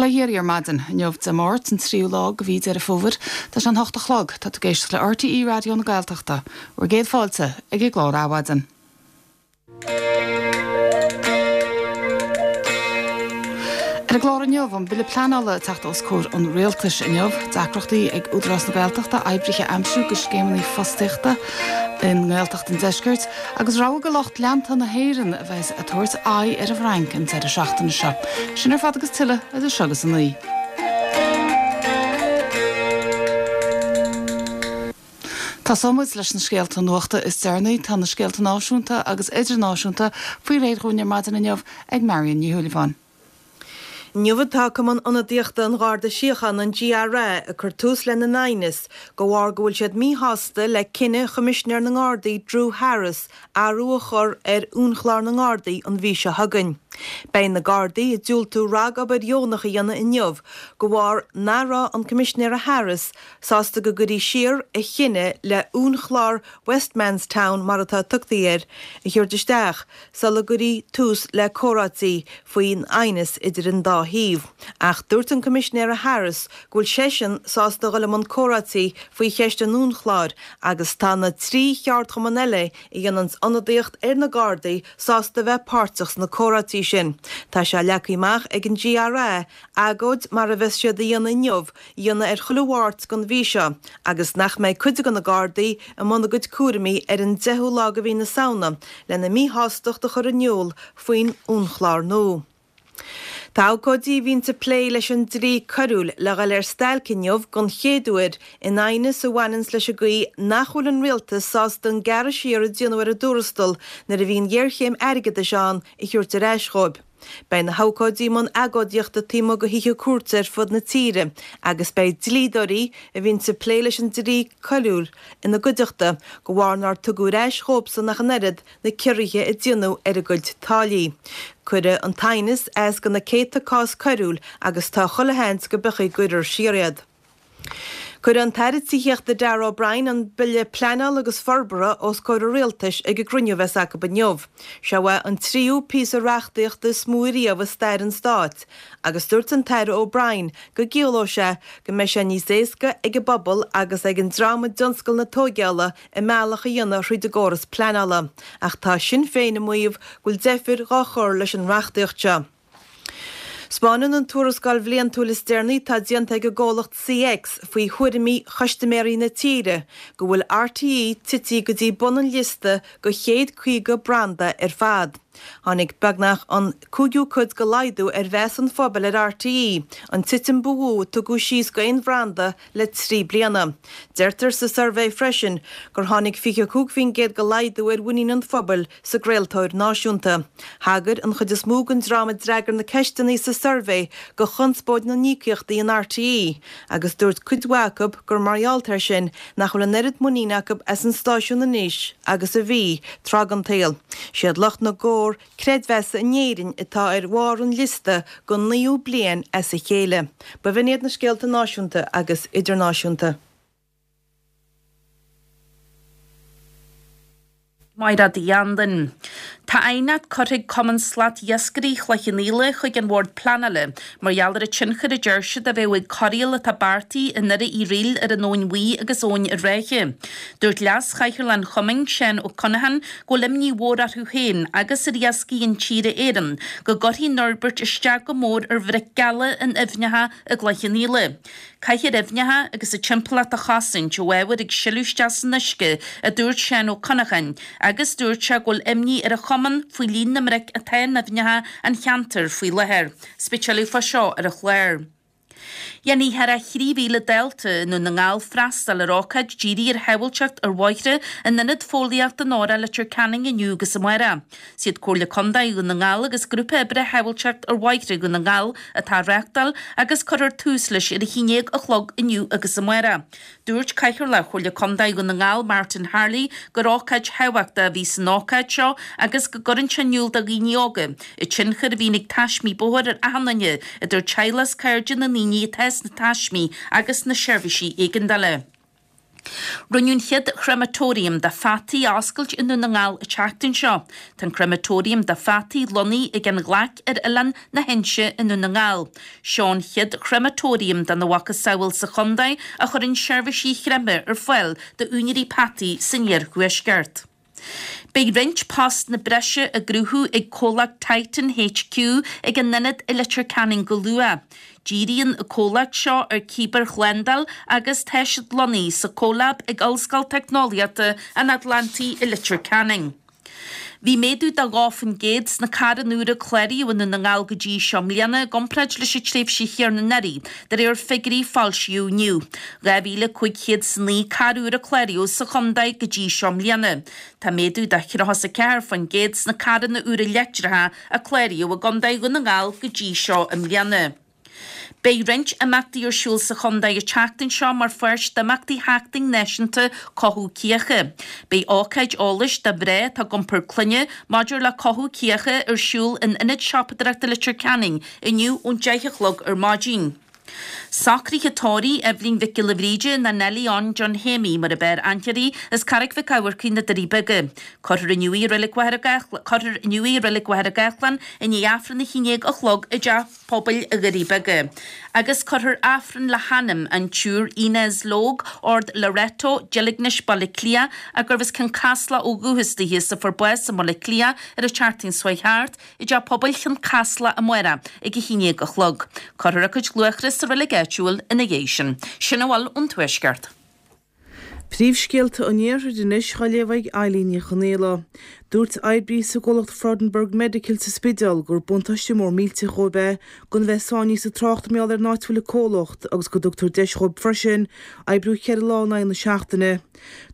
Bail ó Dhia oraibh ar maidin. Inniu Dé Máirt, an tríú lá de mhí Deireadh Fómhair. Tá sé an hocht a chlog. Tá tú ag éisteacht le RTÉ Raidió na Gaeltachta. Bhur gcéad fáilte ag an gclár Adhmhaidin. Ar an gclár inniu, an Bille Pleanála ag teacht os comhair an Rialtais inniu, deacrachtaí ag Údarás na Gaeltachta oibrithe a aimsiú do scéimeanna fostaíochta i nGaeltacht an Deiscirt, agus rogha de lucht leanta na hÉireann a bheas ag tabhairt aghaidh ar an bhFrainc an deireadh seachtaine seo. Sin ar fad agus tuilleadh idir seo agus a naoi. Tosóidh muid leis na scéalta nuachta is deireanaí. Tá na scéalta náisiúnta agus idirnáisiúnta faoi réir dhúinn ar maidin inniu ag Marion Ní Shúilleabháin. Inniu atá Cumann Ionadaíochta an Gharda Síochána, an GRA, ag cur tús lena n aighneas de bharr go bhfuil siad míshásta le cinneadh Choimisinéir na nGardaí Drew Harris athrú a chur ar uainchlár na nGardaí an mhí seo chugainn. Beidh na Gardaí ag diúltú ragobair dheonach a dhéanamh inniu de bharr nach raibh an Coimisinéara Harris sásta go gcuirí siar a chinneadh le uainchlár Westmanstown, mar atá tugtaí air, a thabhairt isteach sula gcuirí tús le comhráití faoin aighneas idir an dá thaobh. Ach dúirt an Coimisinéara Harris go bhfuil seisean sásta a dhul i mbun comhráití faoi cheist an uainchlár agus tá na 3 cheardchumann eile a dhéananns ionadaíocht ar na Gardaí sásta a bheith páirteach sna comhráití sin. Tá sé leagtha amach ag an GRA agóid mar a bheas siad a dhéanamh inniu a dhéanamh ar chuile Mháirt den mhí seo agus nach mbeidh cuid de na Gardaí i mbun a gcuid cúraimí ar an 10ú lá de mhí na Samhna lena míshástacht a chur in iúl faoin uainchlár nua. Tá abhcóidí a bhíonns ag plé leis an dlí coiriúil le dhul ar stailc inniu don chéad uair in aighneas a bhaineanns leis an gcaoi nach bhfuil an rialtas sásta an gearradh siar a déanadh ar a dtuarastal nuair a bhí an ghéarchéim airgeadais ann a thabhairt ar ais dhóibh. Beidh na habhcóidí i mbun agóidíochta taobh amuigh de thithe cúirte ar fud na tíre agus beidh dlíodóirí a bhíonns ag plé leis an dlí coiriúil ina gcuideachta de bharr nár tugadh ar ais dhóibhsan ach an oiread na ciorruithe a déanadh ar a gcuid táillí. Cuireadh an t-aighneas as do na céadta cás coiriúil agus tá chuile sheans go bpiocfaí go gcuirfear siar iad. Cuirfidh an tAire Tithíochta Darragh O'Brien an Bille Pleanála agus Forbartha os comhair an Rialtais ag an gcruinniú a bheas acu inniu. Seo é an tríú píosa reachtaíochta is mó riamh i stair an stáit agus dúirt an tAire O'Brien go gciallóidh sé go mbeidh sé níos éasca ag an bpobal agus ag an dream i dtionscal na tóigeála a mbealach a dhéanamh thríd an gcóras pleanála. Ach tá Sinn Féin ag maíomh go bhfuil deifir dhá chur leis an reachtaíocht seo. 'Spáineann an tuarascáil bhliantúil is deireanaí atá déanta ag an gcomhlacht CX faoi thuairimí chustaiméirí na tíre go bhfuil RTÉ tití go dtí bun an liosta go chéad 50 branda ar fad. Tháinig beagnach an cúigiú cuid de laghdú ar mheas an phobail ar RTÉ, an titim ba mhó a tugadh síos d'aon bhranda le 3 bliana. Deirtear sa suirbhé freisin gur tháinig 25% de laghdú ar mhuinín an phobail sa gcraoltóir náisiúnta. Thagair an chuid is mó den dream a d'fhreagair na ceisteanna sa suirbhé go chonspóid na n-íocaíochtaí in RTÉ agus dúirt cuid mhaith acu gur mar gheall air sin nach bhfuil an oiread muiníne acu as an stáisiún anois agus a bhí tráth den tsaol. Siad lucht na gcomhar creidmheasa in Éirinn atá ar bharr an liosta don naoú bliain as a chéile. B'in iad na scéalta náisiúnta agus idirnáisiúnta. Mairéad Uí Anluain. Tá aighneacht curtha ag Cumann Slat-Iascairí Chloich Cheann Fhaola chuig an Bhord Pleanála mar gheall ar an tionchar a deir siad a bheadh ag corraíl atá beartaithe i nDoire Uí Fhrighil ar an Abhainn Bhuí agus Abhainn an Ráithe. Dúirt Leas-Chathaoirleach an Chumainn, Seán Ó Conacháin, go bhfuil imní mhór orthu féin agus ar Iascaigh Intíre Éireann go gcuirfidh an fhorbairt isteach go mór ar bhric geala in aibhneacha i gCloich Cheann Fhaola. Caithfear aibhneacha agus a dtimpeallacht a chosaint ó ábhair ag sileadh isteach san uisce, a dúirt Seán Ó Conacháin, agus dúirt sé go bhfuil imní ar an chumann faoi líon na mbric atá in aibhneacha an cheantair faoi láthair. 'S beidh tuilleadh fá seo ar an chlár. Dhéanfaidh thar 3,000 dalta i nDún na nGall freastal ar ócáid dírithe ar shábháilteacht ar bhóithre in Ionad Fóillíochta Nóra Leitir Ceanainn inniu agus amárach. 'Siad Comhairle Contae Dhún na nGall agus Grúpa Oibre Shábháilteacht ar Bhóithre Dhún na nGall atá á reáchtáil agus cuirfear tús leis ar a haon déag a chlog inniu agus amárach. Dúirt Cathaoirleach Chomhairle Contae Dhún na nGall Martin Harley gur ócáid thábhachtach a bhí san ócáid seo agus go gcuireann sé in iúl do dhaoine óga an tionchar a bhíonn ag taismí bóthair ar achan duine, idir teaghlach is cairde na ndaoine atá sna taismí agus na seirbhísí éigeandála. Rinneadh an chéad chrematorium do pheataí a oscailt i nDún na nGall an tseachtain seo. Tá an crematorium do pheataí lonnaithe ag an Ghlaic ar Oileán na hInse i nDún na nGall. Seo an chéad chrematorium dena mhacasamhail sa chontae a chuireann seirbhísí creimthe ar fáil d'úinéirí peataí san iarthuaisceart. Beidh roinnt postanna breise á gcruthú ag comhlacht Titan HQ ag a n-ionad i Leitir Ceanainn go luath. Díríonn an comhlacht seo ar cibearshlándáil agus tá siad lonnaithe sa CoLab ag Ollscoil Teicneolaíochta an Atlantaigh i Leitir Ceanainn. Bhí méadú de 2% sna carranna úra a cláraíodh i nDún na nGall go dtí seo i mbliana i gcomparáid leis an tréimhse chéanna anuraidh, de réir figiúirí a foilsíodh inniu. 2,509 carr úr a cláraíodh sa chontae go dtí seo i mbliana. Tá méadú de 34% sna carranna úra leictreacha a cláraíodh i gContae Dhún na nGall go dtí seo i mbliana. Beidh roinnt imeachtaí ar siúl sa chontae an tseachtain seo mar pháirt d'imeachtaí Sheachtain Náisiúnta Cothú Cíocha. Beidh ócáid eolais do mhná atá ag iompar clainne maidir le cothú cíocha ar siúl in Ionad Siopadóireachta Leitir Ceanainn inniu ón 10 a chlog ar maidin. Socruithe tórraimh Eibhlín Mhic Giolla Bhríde, nó Nellie Ann John Shéimí mar ab fhearr aithne uirthi, as Carraig Mhic Eamharcaigh, na Doirí Beaga. Cuirfear inniu í i Reilig Mhachaire Cuirfear inniu í i Reilig Mhachaire Gathlán i ndiaidh Aifreann a 11 a chlog i dTeach Pobail Dhoirí Beaga. Agus cuirfear Aifreann le hanam an tSiúr Inez Logue, Ard Loreto, Deilgnis, Baile Átha Cliath, a gurbh as Cionn Caslach ó dhúchas dithe is a fuair bás i mBaile Átha Cliath ar an tseachtain seo chuaigh thart, i dTeach Pobail Chionn Caslach amárach ag 11 a chlog. Cuirfear a cuid luachra sa reilig áitiúil ina dhiaidh sin. Sin a bhfuil ón Tuaisceart. Príomhscéalta an Iarthair anois á léamh ag Eilín Ní Chonaola. Dúirt oibrí sa gcomhlacht Freudenberg Medical sa Spidéal gur buntáiste mór millteach dhóibh é gan a bheith sáinnithe sa trácht mar gheall ar an áit a bhfuil an comhlacht agus go dtugtar deis dhóibh freisin oibriú cheithre lá in aghaidh na seachtaine.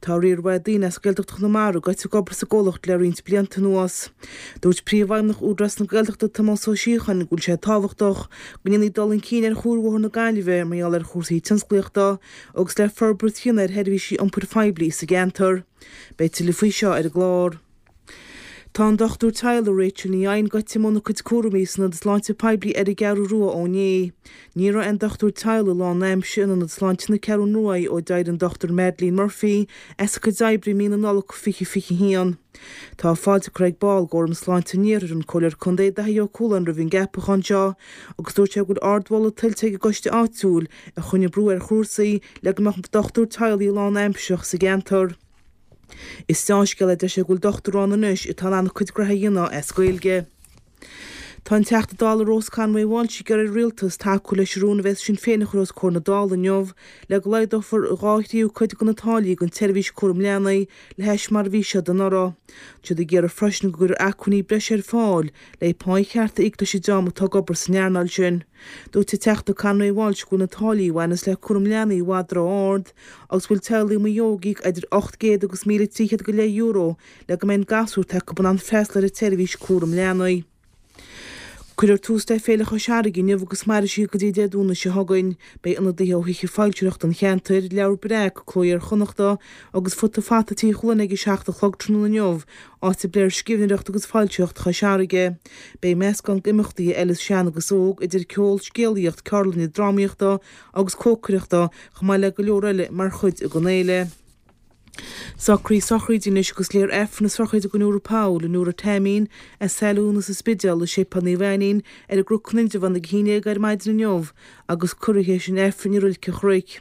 Tá riar mhaith daoine as Gaeltacht Chonamara gaibhte ag obair sa gcomhlacht le roinnt blianta anuas. Dúirt Príomhfheidhmeannach Údarás na Gaeltachta Tomás Ó Síocháin go bhfuil sé tábhachtach go ndéanfaí dul chun cinn ar Chuarbhóthar na Gaillimhe mar gheall ar chúrsaí tionsclaíochta agus le forbairt a dhéanamh ar sheirbhísí iompair phoiblí sa gceantar. Beidh tuilleadh faoi seo ar an gclár. Tá an dochtúir teaghlaigh Rachel Ní Eidhin gaibhte i mbun a cuid cúraimí san Ionad Sláinte Poiblí ar an gCeathrú Rua ó inné. Ní raibh aon dochtúir teaghlaigh lán-aimsire in Ionad Sláinte na Ceathrún Ruaidh ó d'éirigh an Dr Madeleine Murphy as a cuid oibre i mí na Nollag 2021. Tá fáilte curtha ag ball d'Fhóram Sláinte an Iarthair, an Comhairleoir Contae Daithí Ó Cualáin roimh an gceapachán seo agus dúirt sé go bhfuil ardmholadh tuillte ag an gcoiste áitiúil a choinnigh brú ar chúrsaí le go mbeadh dochtúir teaghlaigh lán-aimsearach sa gceantar. Is deá-scéal é deir sé go bhfuil dochtúir ann anois atá in ann a cuid gnoithe a dhéanamh as Gaeilge. Tá an Teachta Dála Rose Conway Walsh ag iarraidh ar an Rialtas tacú leis an rún a bheas Sinn Féin a chur os comhair na Dála inniu le go laghdófar dhá thríú cuid de na táillí don tseirbhís cúram leanaí le hais mar a bhí siad anuraidh. Tá siad ag iarraidh freisin go gcuirfear acmhainní breise ar fáil le pá cheart a íoc leis an dream atá ag obair san earnáil sin. Dúirt an Teachta Conway Walsh go bhfuil na táillí a bhaineas le cúram leanaí i bhfad ró-ard agus go bhfuil teaghlaigh amuigh ag íoc idir 800 agus 1,300 go leith euro le go mbeidh an gasúr atá acu in ann freastal ar an tseirbhís cúram leanaí. Cuirfear tús le Féile Chois Fharraige inniu agus mairfidh sí go dtí Dé Domhnaigh seo chugainn. Beidh ionadaithe ó thithe foilsitheoireachta an cheantair, Leabhar Breac, Cló Iar-Chonnachta agus Futa Fata Tí Chualáin ag a 7 a chlog tráthnóna inniu, áit a bpléifear scríbhneoireacht agus foilsitheoireacht Chois Fharraige. Beidh meascán d'imeachtaí a fheilfeas sean agus óg, idir ceol, scéalaíocht, ceardlanna drámaíochta agus cócaireachta, chomh maith le go leor eile mar chuid den fhéile. Socruithe sochraide anois agus léifear Aifreann na sochraide don Iúr Powell, an Iúr Taimín, as Saile Úna sa Spidéal, i Séipéal Naomh Ainnín ar an gCnoc in Indreabhán ag 11 ar maidin inniu agus cuirfear théis an Aifrinn i Reilig an Chnoic.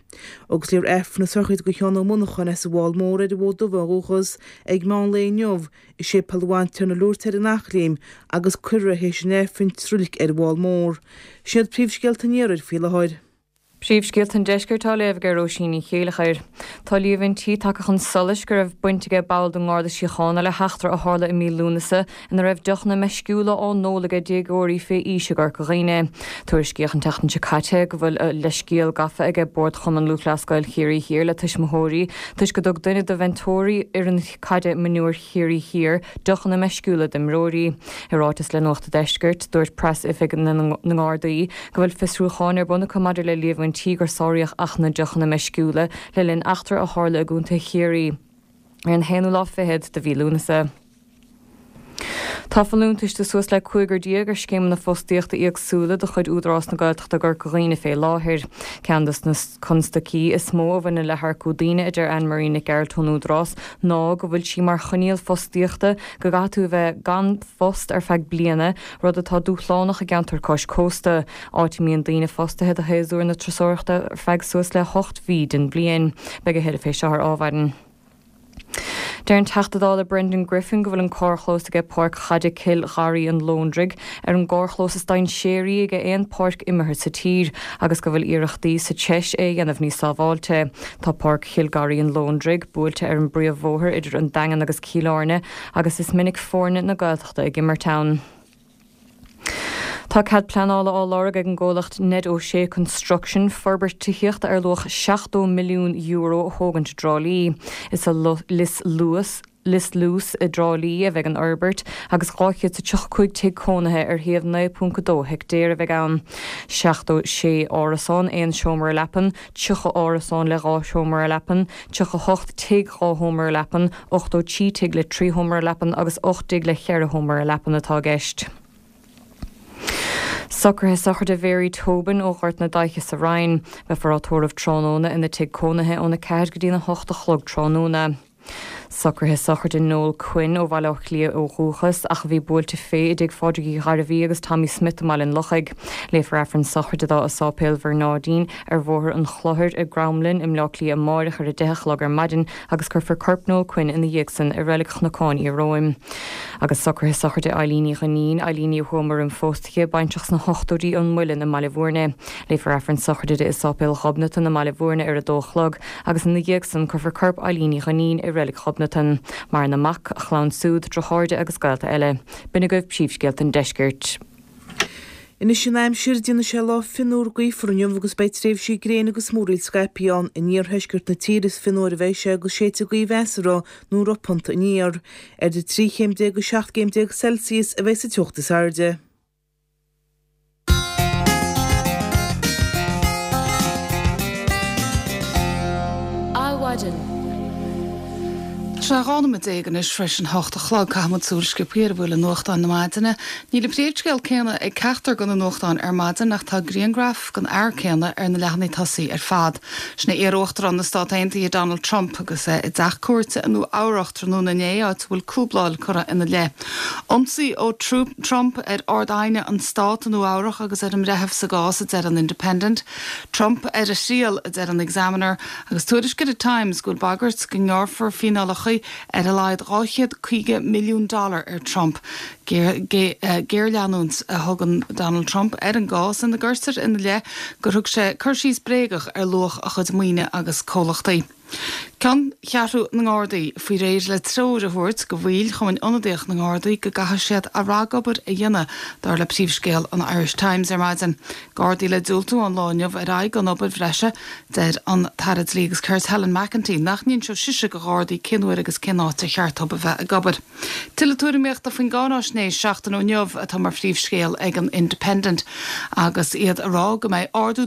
Agus léifear Aifreann na sochraide do Sheán Ó Monacháin as an bhFál Mór ar an bhFód Dubh ó dhúchas ag meán lae inniu i Séipéal an Bhantiarna Lourdes ar an Eachléim agus cuirfear é théis an Aifrinn sa reilig ar an bhFál Mór. Sin iad príomhscéalta an Iarthair faoi láthair. Príomhscéalta an Deiscirt á léamh ag Róisín Ní Chéilleachair. Tá líomhaintí tagtha chun solais go raibh baint aige ball den nGarda Síochána le heachtra a tharla i mí Lúnasa ina raibh deochanna meisciúla á n-ól aige déagóirí fé aois i gCorca Dhuibhne. Tuairiscíodh an tseachtain seo caite go bhfuil leithscéal gafa aige Bord Chumann Lúthchleas Gael Chiarraí Thiar le tuismitheoirí toisc go dtug duine de mheinteoirí fhoireann caide mionúir Chiarraí Thiar deochanna meisciúla d'imreoirí. I ráiteas le Nuacht a' Deiscirt, dúirt Preas-Oifig na nGardaí go bhfuil fiosrúcháin ar bun acu maidir le líomhaintí gur sáraíodh Acht na nDeochanna Meisciúla le linn eachtra a tharla i gContae Chiarraí ar an haonú lá fichead de mhí Lúnasa. Tá folúntais de suas le 15 ar scéimeanna fostaíochta éagsúla de chuid Údarás na Gaeltachta i gCorca Dhuibhne fé láthair. Ceann de na constaicí is mó a bhaineann le hearcú daoine, a deir Anne Marie Nic Gearailt ón Údarás, ná go bhfuil sí mar choinníoll fostaíochta go gcaithfidh tú a bheith gan phost ar feadh bliana, rud atá dúshlánach i gceantar cois cósta, áit a mbíonn daoine fostaithe do shéasúr na turasóireachta ar feadh suas le hocht mhí den bhliain. Beidh a thuilleadh fé seo ar ámhaireann. Deir an Teachta Dála Brendan Griffin go bhfuil an carrchlós aige Páirc Chaide Cill Gharraí an Lóndraigh ar an gcarrchlós is dainséaraí aige aon páirc imeartha sa tír agus go bhfuil iarrachtaí sa treis é a dhéanamh níos sábháilte. Tá Páirc Chill Garraí an Lóndraigh buailte ar an bpríomhbhóthar idir an Daingean agus Cill Airne agus is minic foirne na Gaeltachta ag imirt ann. Tá cead pleanála á lorg ag an gcomhlacht Ned O'Shea Construction forbairt tithíochta ar luach €70 milliún a thógaint i dTrá Lí. Is i Lios Luas, Lios Luas i dTrá Lí a bheidh an fhorbairt agus 235 tigh cónaithe ar shuíomh 9.2 heictéar a bheidh ann. 76 árasán aon seomra leapan, 30 árasán le dhá sheomra leapan, 38 tigh dhá sheomra leapan, 83 tigh le 3 sheomra leapan agus 8 dtigh le cheithre sheomra leapan atá i gceist. Socruithe sochraide Mhary Tobin ó Ghort na Daiche sa Rinn. Beifear á tórramh tráthnóna ina tigh cónaithe óna 4 go dtína 8 a chlog tráthnóna. Socruithe sochraide Noel Quinn ó Bhaile Átha Cliath ó dhúchas ach a bhí buailte fé i dtigh Phádraig Uí Ghairbhí agus Tommy Smith i mBaile an Lochaigh. Léifear Aifreann sochraide dó i Sáipéal Bhearnáidín ar Bhóthar an Chlochair i gCromghlinn i mBleá Cliath amáireach ar a 10 a chlog ar maidin agus cuirfear corp Noel Quinn ina dhiaidh san i Reilig Chnocán Iaróm. Agus socruithe sochraide Eileen Uí Dhuinnín, Eileen Ní Thuama roim phósadh di, baintreach sna hochtóidí ón Muileann i mBaile Bhúirne. Léifear Aifreann sochraide di i Sáipéal Ghobnatan i mBaile Bhúirne ar a dó a chlog agus ina dhiaidh san cuirfear corp Eileen Uí Dhuinnín i Reilig Ghobnatan. Maireann a mac, a chlann siúd, deartháireacha agus gaolta eile. B'in agaibh príomhscéalta an deiscirt. Anois an aimsir, déanfaidh sé lá fionnuar gaofar inniu agus beidh tréimhsí gréine agus múraíl scaipthe ann. In iarthuaisceart na tíre is fionnuaire a bheidh sé agus séidfidh gaoth mheasartha nó ropánta aniar. Idir 13 chéim agus 17 gcéim Celsius a bheidh sa teocht is airde. Adhmhaidin. Tá sé 12 nóiméad anois tar éis an hocht a chlog. Caithfidh muid súil sciobtha ar a bhfuil i nuachtáin na maidine. Níl an príomhscéal céanna ag ceachtar de na nuachtáin ar maidin ach tá grianghraf den fhear céanna ar na leathanaigh tosaigh ar fad. Sin é iar-uachtarán na Stát Aontaithe Donald Trump agus é i dteach cúirte i Nua Eabhrach tráthnóna inné áit a bhfuil cúbláil curtha ina leith. Ionsaí ó Trump ar Ard-Aighne an Stát i Nua Eabhrach agus ar an mbreitheamh sa gcás, a deir an Independent. Trump ar a thriail, a deir an Examiner. Agus tuairisc ar an Times go bhfuil bagairt go ngearrfar fíneálacha ar a laghad 250 milliún dollar ar Trump. Géarleanúint a thugann Donald Trump ar an gcás ina gcuirtear ina leith gur thug sé cur síos bréagach ar luach a chuid maoine agus comhlachtaí. Ceanncheathrú na nGardaí faoi réir le treoir a thabhairt do bhaill Chumann Ionadaíoch na nGardaí go gcaithfidh siad a ragobair a dhéanamh, dar le príomhscéal an Irish Times ar maidin. Gardaí le diúltú ón lá inniu ar aghaidh don obair bhreise. Deir an tAire Dlí agus Cirt Helen McEntee nach n-inseodh sise do Ghardaí cén uair agus cén áit ar cheart dóibh a bheith ag obair. Tuilleadh tuairimíochta faoin gcáináisnéis seachtain ó inniu atá mar phríomhscéal ag an Independent agus iad ag rá go mbeidh ardú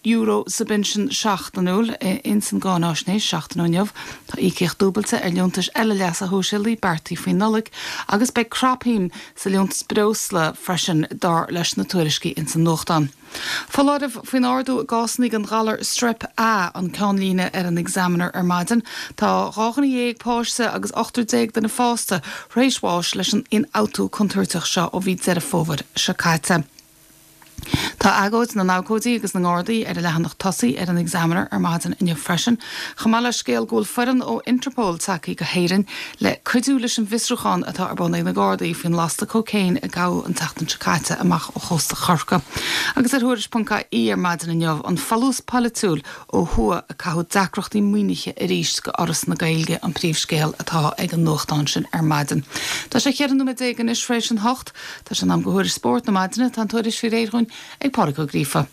€12 sa bpinsean seachtainiúil ins an gcáináisnéis seachtain ó inniu. Tá íocaíocht dúbailte ar liúntais eile leasa shóisialaigh beartaithe faoin Nollaig agus beidh crapshuim sa liúntas breosla freisin dar leis na tuairiscí ins an nuachtán. Foláireamh faoin ardú i gcásanna den ghalar Strep A an ceannlíne ar an Examiner ar maidin. Tá 12 dhuine páiste agus ochtar duine fásta tar éis bháis leis an ionfhabhtú contúirteach seo ó mhí Deireadh Fómhair seo caite. Tá agóid na n-abhcóidí agus na nGardaí ar an leathanach tosaigh ar an Examiner ar maidin inniu freisin, chomh maith le scéal go bhfuil foireann ó Interpol tagtha go hÉirinn le cuidiú leis an bhfiosrúchán atá ar bun ag na Gardaí faoin lasta cócaon a gabhadh an tseachtain seo caite amach ó chósta Chorcaí. Agus ar Thuairisc.ie ar maidin inniu, an folús polaitiúil ó thuaidh ag caitheamh deacrachtaí maoinithe arís go Fhoras na Gaeilge an príomhscéal atá ag an nuachtán sin ar maidin. Tá sé 14 nóiméad anois tar éis an hocht. Tá sé in am go thuairisc spóirt na maidine. Tá an tuairisc faoi réir dhúinn ag Pádraig Ó Gríofa.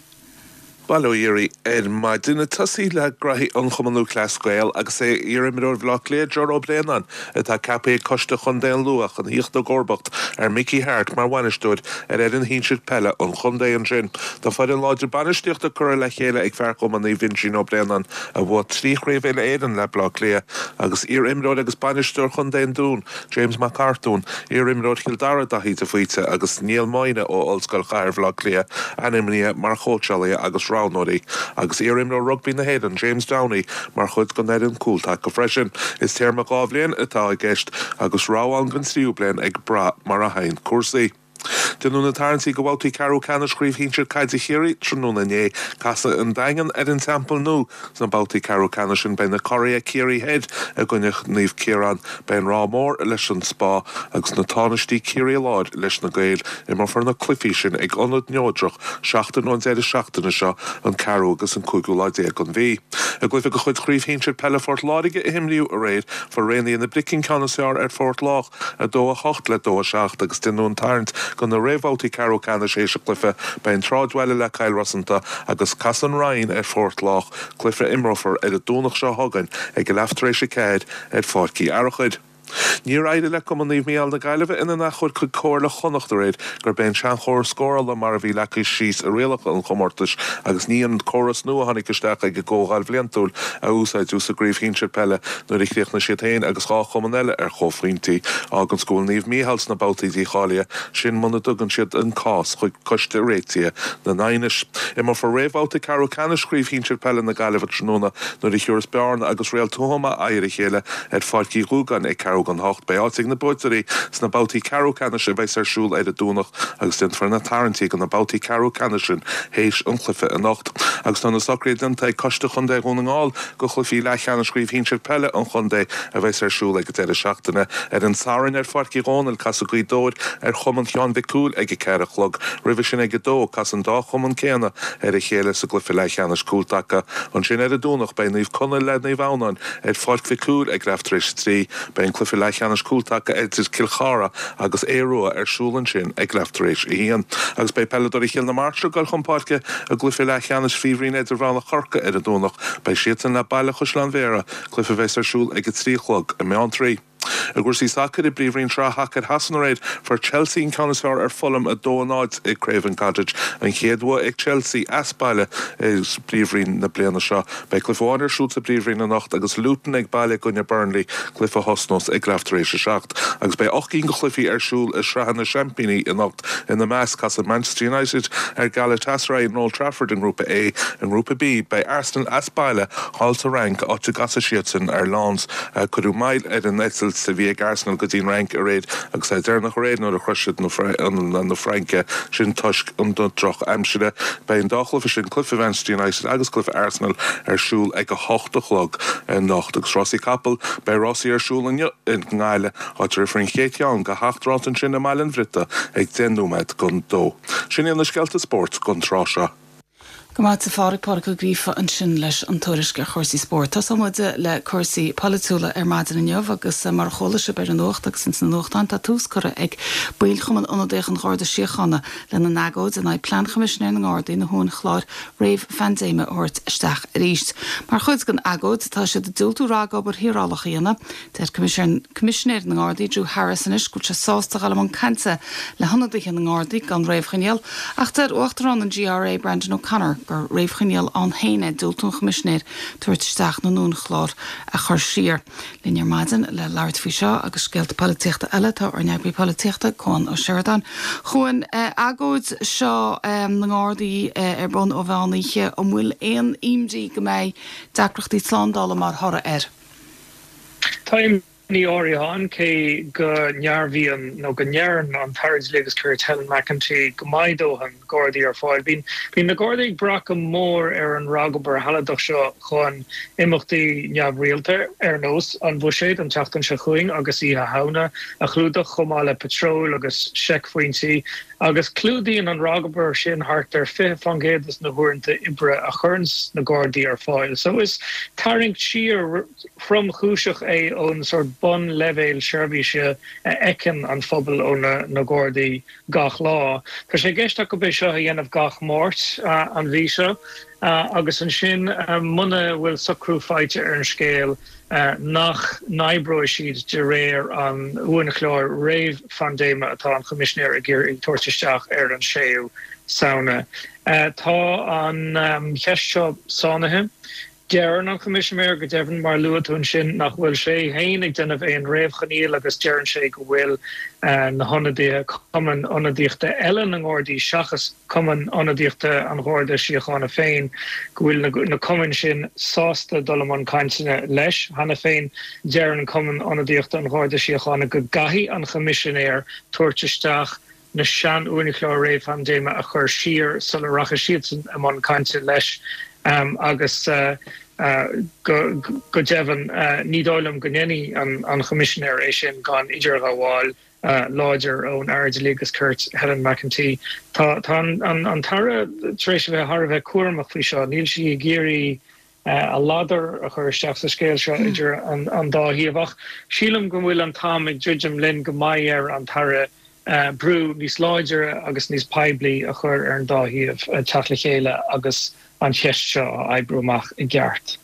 Bail ó Dhia oraibh ar maidin. Ag tosaí le graithí an Chumann Lúthchleas Gael agus é iar-imreoir Bhaile Átha Cliath, Ger Ó Braonáin, atá ceaptha ag Coiste Chontae an Lú chun theacht i gcomharbacht ar Mickey Harte mar bhainisteoir ar fhoireann shinsir peile an chontae ansin. Tá foireann láidir bainistíochta curtha le chéile ag fear Chumann Naomh Uinseann Ó Braonáin a bhuaigh 3 chraobh uile-Éireann le Baile Átha Cliath agus iar-imreoir agus bainisteoir chontae an Dúin, James Mac Artúin, iar-imreoir Chill Dara Daithí de Faoite agus Niall Moyna ó Ollscoil Chathair Bhaile Átha Cliath ainmnithe mar chóitseálaithe agus roghnóirí, agus iar-imreoir rugbaí na hÉireann James Downey mar chuid den fhoireann cúltaca freisin. Is téarma 2 bhliain atá i gceist agus rogha ann don tríú bliain ag brath mar a théann cúrsaí. Déanadh na tarraingtí do bhabhtaí ceathrú ceannais Chraobh Shinsir Caide Chiarraí tráthnóna inné. Casfaidh an Daingean ar an Teampall Nua sna babhtaí ceathrú ceannais sin. Beidh na curaithe Ciarraí Thoir i gcoinne Naomh Ciarán. Beidh an Ráth Mór leis an Spá agus na tánaistí Ciarraí Láir leis na Gaeil. Imreofar na cluichí sin ag ionad neodrach seachtain ón deireadh seachtaine seo, an ceathrú agus an cúigiú lá déag den mhí. I gcluiche de chuid Chraobh Shinsir Peile Phort Láirge a imríodh aréir, fuair Raonaithe na Brice an ceann is fearr ar Phort Lách. 2, 8 le 2, 7 agus déanadh an tarraingt do na réamhbhabhtaí ceathrú ceannais théis an chluiche. Beidh an tSráidbhaile le Cill Rosanta agus casfaidh an Rinn ar Phort Lách, cluiche a imreofar ar an Domhnach seo chugainn ag a leath tar éis a ceathair ar Pháirc Uí Fhearachair. Níor éirigh le Cumann Naomh Mícheál na Gaillimhe ina n-achomharc chuig Comhairle Chonnacht aréir gurb é an seanchóras scórála mar a bhí leagtha síos i rialacha an chomórtais agus ní an córas nua a tháinig isteach ag an gComhdháil Bhliantúil a úsáideadh sa gcraobh shinsir peile nuair a chríochnaigh siad féin agus 2 chumann eile ar chomhphointí. Fáganns go bhfuil Naomh Mícheál sna babhtaí dícháilithe sin muna dtugann siad an cás chuig Coiste Réitithe na nAighneas. Imreofar réamhbhabhta ceathrú ceannais Chraobh Shinsir Peile na Gaillimhe tráthnóna nuair a thiúrfas Bearna agus Réalt Thuama aghaidh ar a chéile ar Pháirc Uí Dhúgáin ag ceathrú don hocht. Beidh áit ag na buaiteoirí sna babhtaí ceathrú ceannais a bheas ar siúl ar an Domhnach agus déanfar na tarraingtí do na babhtaí ceathrú ceannais sin théis an chluiche anocht. Agus tá na socruithe déanta ag Coiste Chontae Dhún na nGall do chluichí leathcheannais Chraobh Shinsir Peile an chontae a bheas ar siúl ag an deireadh seachtaine. Ar an Satharn ar Pháirc Uí Dhónaill, casfaidh Gaoth Dobhair ar Chumann Sheáin Mhic Cumhaill ag a ceathair a chlog. Roimhe sin ag a dó, casfaidh an dá chumann céanna ar a chéile sa gcluiche leathcheannais cúltaca. Ansin ar an Domhnach beidh Naomh Conaill le Naomh Adhamhnáin ar Pháirc Mhic Cumhaill ag leath tar éis a trí. Beidh an cluiche leathcheannais cúltaca idir Cill Chartha agus Aodh Rua ar siúl ansin ag leath tar éis a haon. Agus beidh peileadóirí Chill na Martra ag dul chun páirce i gcluiche leathcheannais Phríomhroinn Idirmheánach Chorcaí ar an Domhnach. Beidh siadsan le Baile Chaisleáin Bhéarra, cluiche a bheas ar siúl ag a 3 a chlog i mBeanntraí. I gcúrsaí sacair, i bPríomhroinn Shraith Shacair Shasana aréir, fuair Chelsea an ceann is fearr ar Fulham 2-0 i Craven Cottage, an chéad bhua ag Chelsea as baile i bPríomhroinn na bliana seo. Beidh cluiche amháin ar siúl sa bPríomhroinn anocht agus Luton ag baile i gcoinne Burnley, cluiche a thosnós ag leath tar éis a seacht. Agus beidh 8 gcinn de chluichí ar siúl i Sraitheanna Seaimpíní anocht, ina measc, casfaidh Manchester United ar Galatasaray in Old Trafford i nGrúpa A. I nGrúpa B, beidh Arsenal as baile thall sa Fhrainc, áit a gcasfaidh siadsan ar Lens. Cuireadh moill ar an eitilt a bhí ag Arsenal go dtí an Fhrainc aréir agus é deireanach aréir nuair a shroich siad na Fraince, sin toisc an droch-aimsire. Beidh an dá chluiche sin, cluiche Mhanchester United agus cluiche Arsenal, ar siúl ag a hocht a chlog anocht. Agus rásaí capall, beidh rásaí ar siúl inniu i nGaillimh, áit a rithfear an chéad cheann de sheacht rás ansin i mBaile an Bhriotaigh ag deich nóiméad don dó. Sin iad na scéalta spóirt don tráth seo. Go maith a Phádraig, Pádraig Ó Gríofa ansin leis an tuairisc ar chúrsaí spóirt. Tosóidh muid le cúrsaí polaitiúla ar maidin inniu agus mar a chuala sibh ar an nuacht agus ins na nuachtáin tá tús curtha ag baill Chumann Ionadaíoch an Gharda Síochána lena n-agóid in aghaidh plean Choimisinéir na nGardaí na huainchlár réamh-phaindéime a thabhairt isteach arís. Mar chuid den agóid tá siad ag diúltú ragobair shaorálach a dhéanamh. Deir Coimisinéir na nGardaí Drew Harris anois go bhfuil sé sásta dul i mbun cainte le hionadaithe na nGardaí gan réamhchoinníoll, ach deir Uachtarán an GRA Brandon O'Connor gur réamhchoinníoll ann féin é diúltú an Choimisinéir tabhairt isteach na n-uainchlár a chur siar. Linn ar maidin le labhairt faoi seo agus scéalta polaitíochta eile tá ár n-eagraí polaitíochta, Cuan Ó Seireadáin. A Chuain, agóid seo na nGardaí ar bun ó mheán oíche, an bhfuil aon imní go mbeidh deacrachtaí slándála mar thoradh air? Tá imní áirithe ann, cé go ndearbhaíonn nó go ndeireann an tAire Dlí agus Cirt Helen McEntee go mbeidh dóthain Gardaí ar fáil. Bíonn na Gardaí ag brath go mór ar an ragobair shealadach seo chun imeachtaí neamhrialta ar nós an Bhuiséid an tseachtain seo chugainn agus Oíche Shamhna a chlúdach, chomh maith le patróil agus seicphointí. Agus clúdaíonn an ragobair sin thart ar 20% des na huaireanta oibre a chuireanns na Gardaí ar fáil. So is tarraingt siar thromchúiseach é ón sórt bunleibhéal seirbhíse a fheiceann an phobal ó na Gardaí gach lá. Tá sé i gceist acu é seo a dhéanamh gach Máirt an mhí seo. Agus ansin, muna bhfuil socrú faighte ar an scéal, nach n-oibreoidh siad de réir an uainchlár réamh-phaindéime atá an Choimisinéir ag iarraidh tabhairt isteach ar an 6ú Samhna. Tá an cheist seo sáinnithe. Deireann an Choimisinéir go deimhin, mar a luaigh tú ansin, nach bhfuil sé féin ag déanamh aon réamhchoinníoll agus deireann sé go bhfuil na hionadaithe, cumainn ionadaíochta eile na nGardaí seachas Cumann Ionadaíochta an Gharda Síochána féin, go bhfuil na cumainn sin sásta dul i mbun cainteanna leis. Cheana féin, deireann Cumann Ionadaíochta an Gharda Síochána go gcaithfidh an Choimisinéir tabhairt isteach na sean-uainchlár réamhphaindéime a chur siar sula rachaidh siadsan i mbun cainte leis agus go deimhin ní dóigh liom go ndéanfaidh an Choimisinéir é sin gan idirghabháil láidir ón Aire Dlí agus Cirt, Helen McEntee. Tá an tAire tar éis a bheith thar a bheith cúramach faoi seo. Níl sí ag iarraidh a ladar a chur isteach sa scéal seo idir an dá thaobh ach sílim go bhfuil an t-am ag druidim linn go mbeidh ar an tAire brú níos láidre agus níos poiblí a chur ar an dá thaobh teacht le chéile agus an cheist seo a oibriú amach i gceart.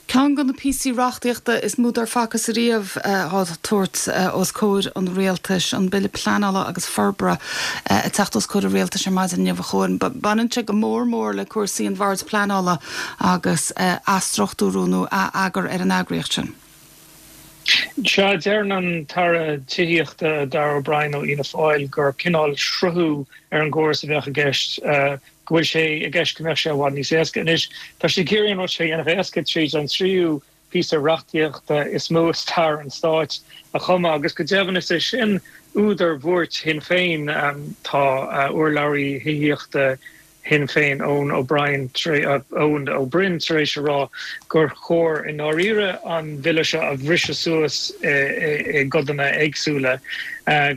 Ceann de na píosaí reachtaíochta is mó dár facthas ariamh á tabhairt os comhair an Rialtais, an Bille Pleanála agus Forbartha ag teacht os comhair an Rialtais ar maidin inniu a Chuain. Baineann sé go mór mór le cúrsaí an Bhoird Pleanála agus athstruchtúrú nó ath-eagar ar an eagraíocht sin. Sea, deireann an tAire Tithíochta Darragh O'Brien ó Fhianna Fáil gur cineál sruthú ar an gcóras a bheadh i gceist, go bhfuil sé i gceist go mbeadh sé i bhfad níos éasca. Anois, tá sé ag iarraidh an rud seo a dhéanamh éasca tríd an tríú píosa reachtaíochta is mó i stair an stáit a chumadh agus go deimhin is é sin údar bhuairt Shinn Féin. Tá urlabhraí thithíochta Shinn Féin, Eoin O'Brien, Eoin Ó Broin tar éis a rá gur chóir i ndáiríre an bhille seo a bhriseadh suas i gcodanna éagsúla,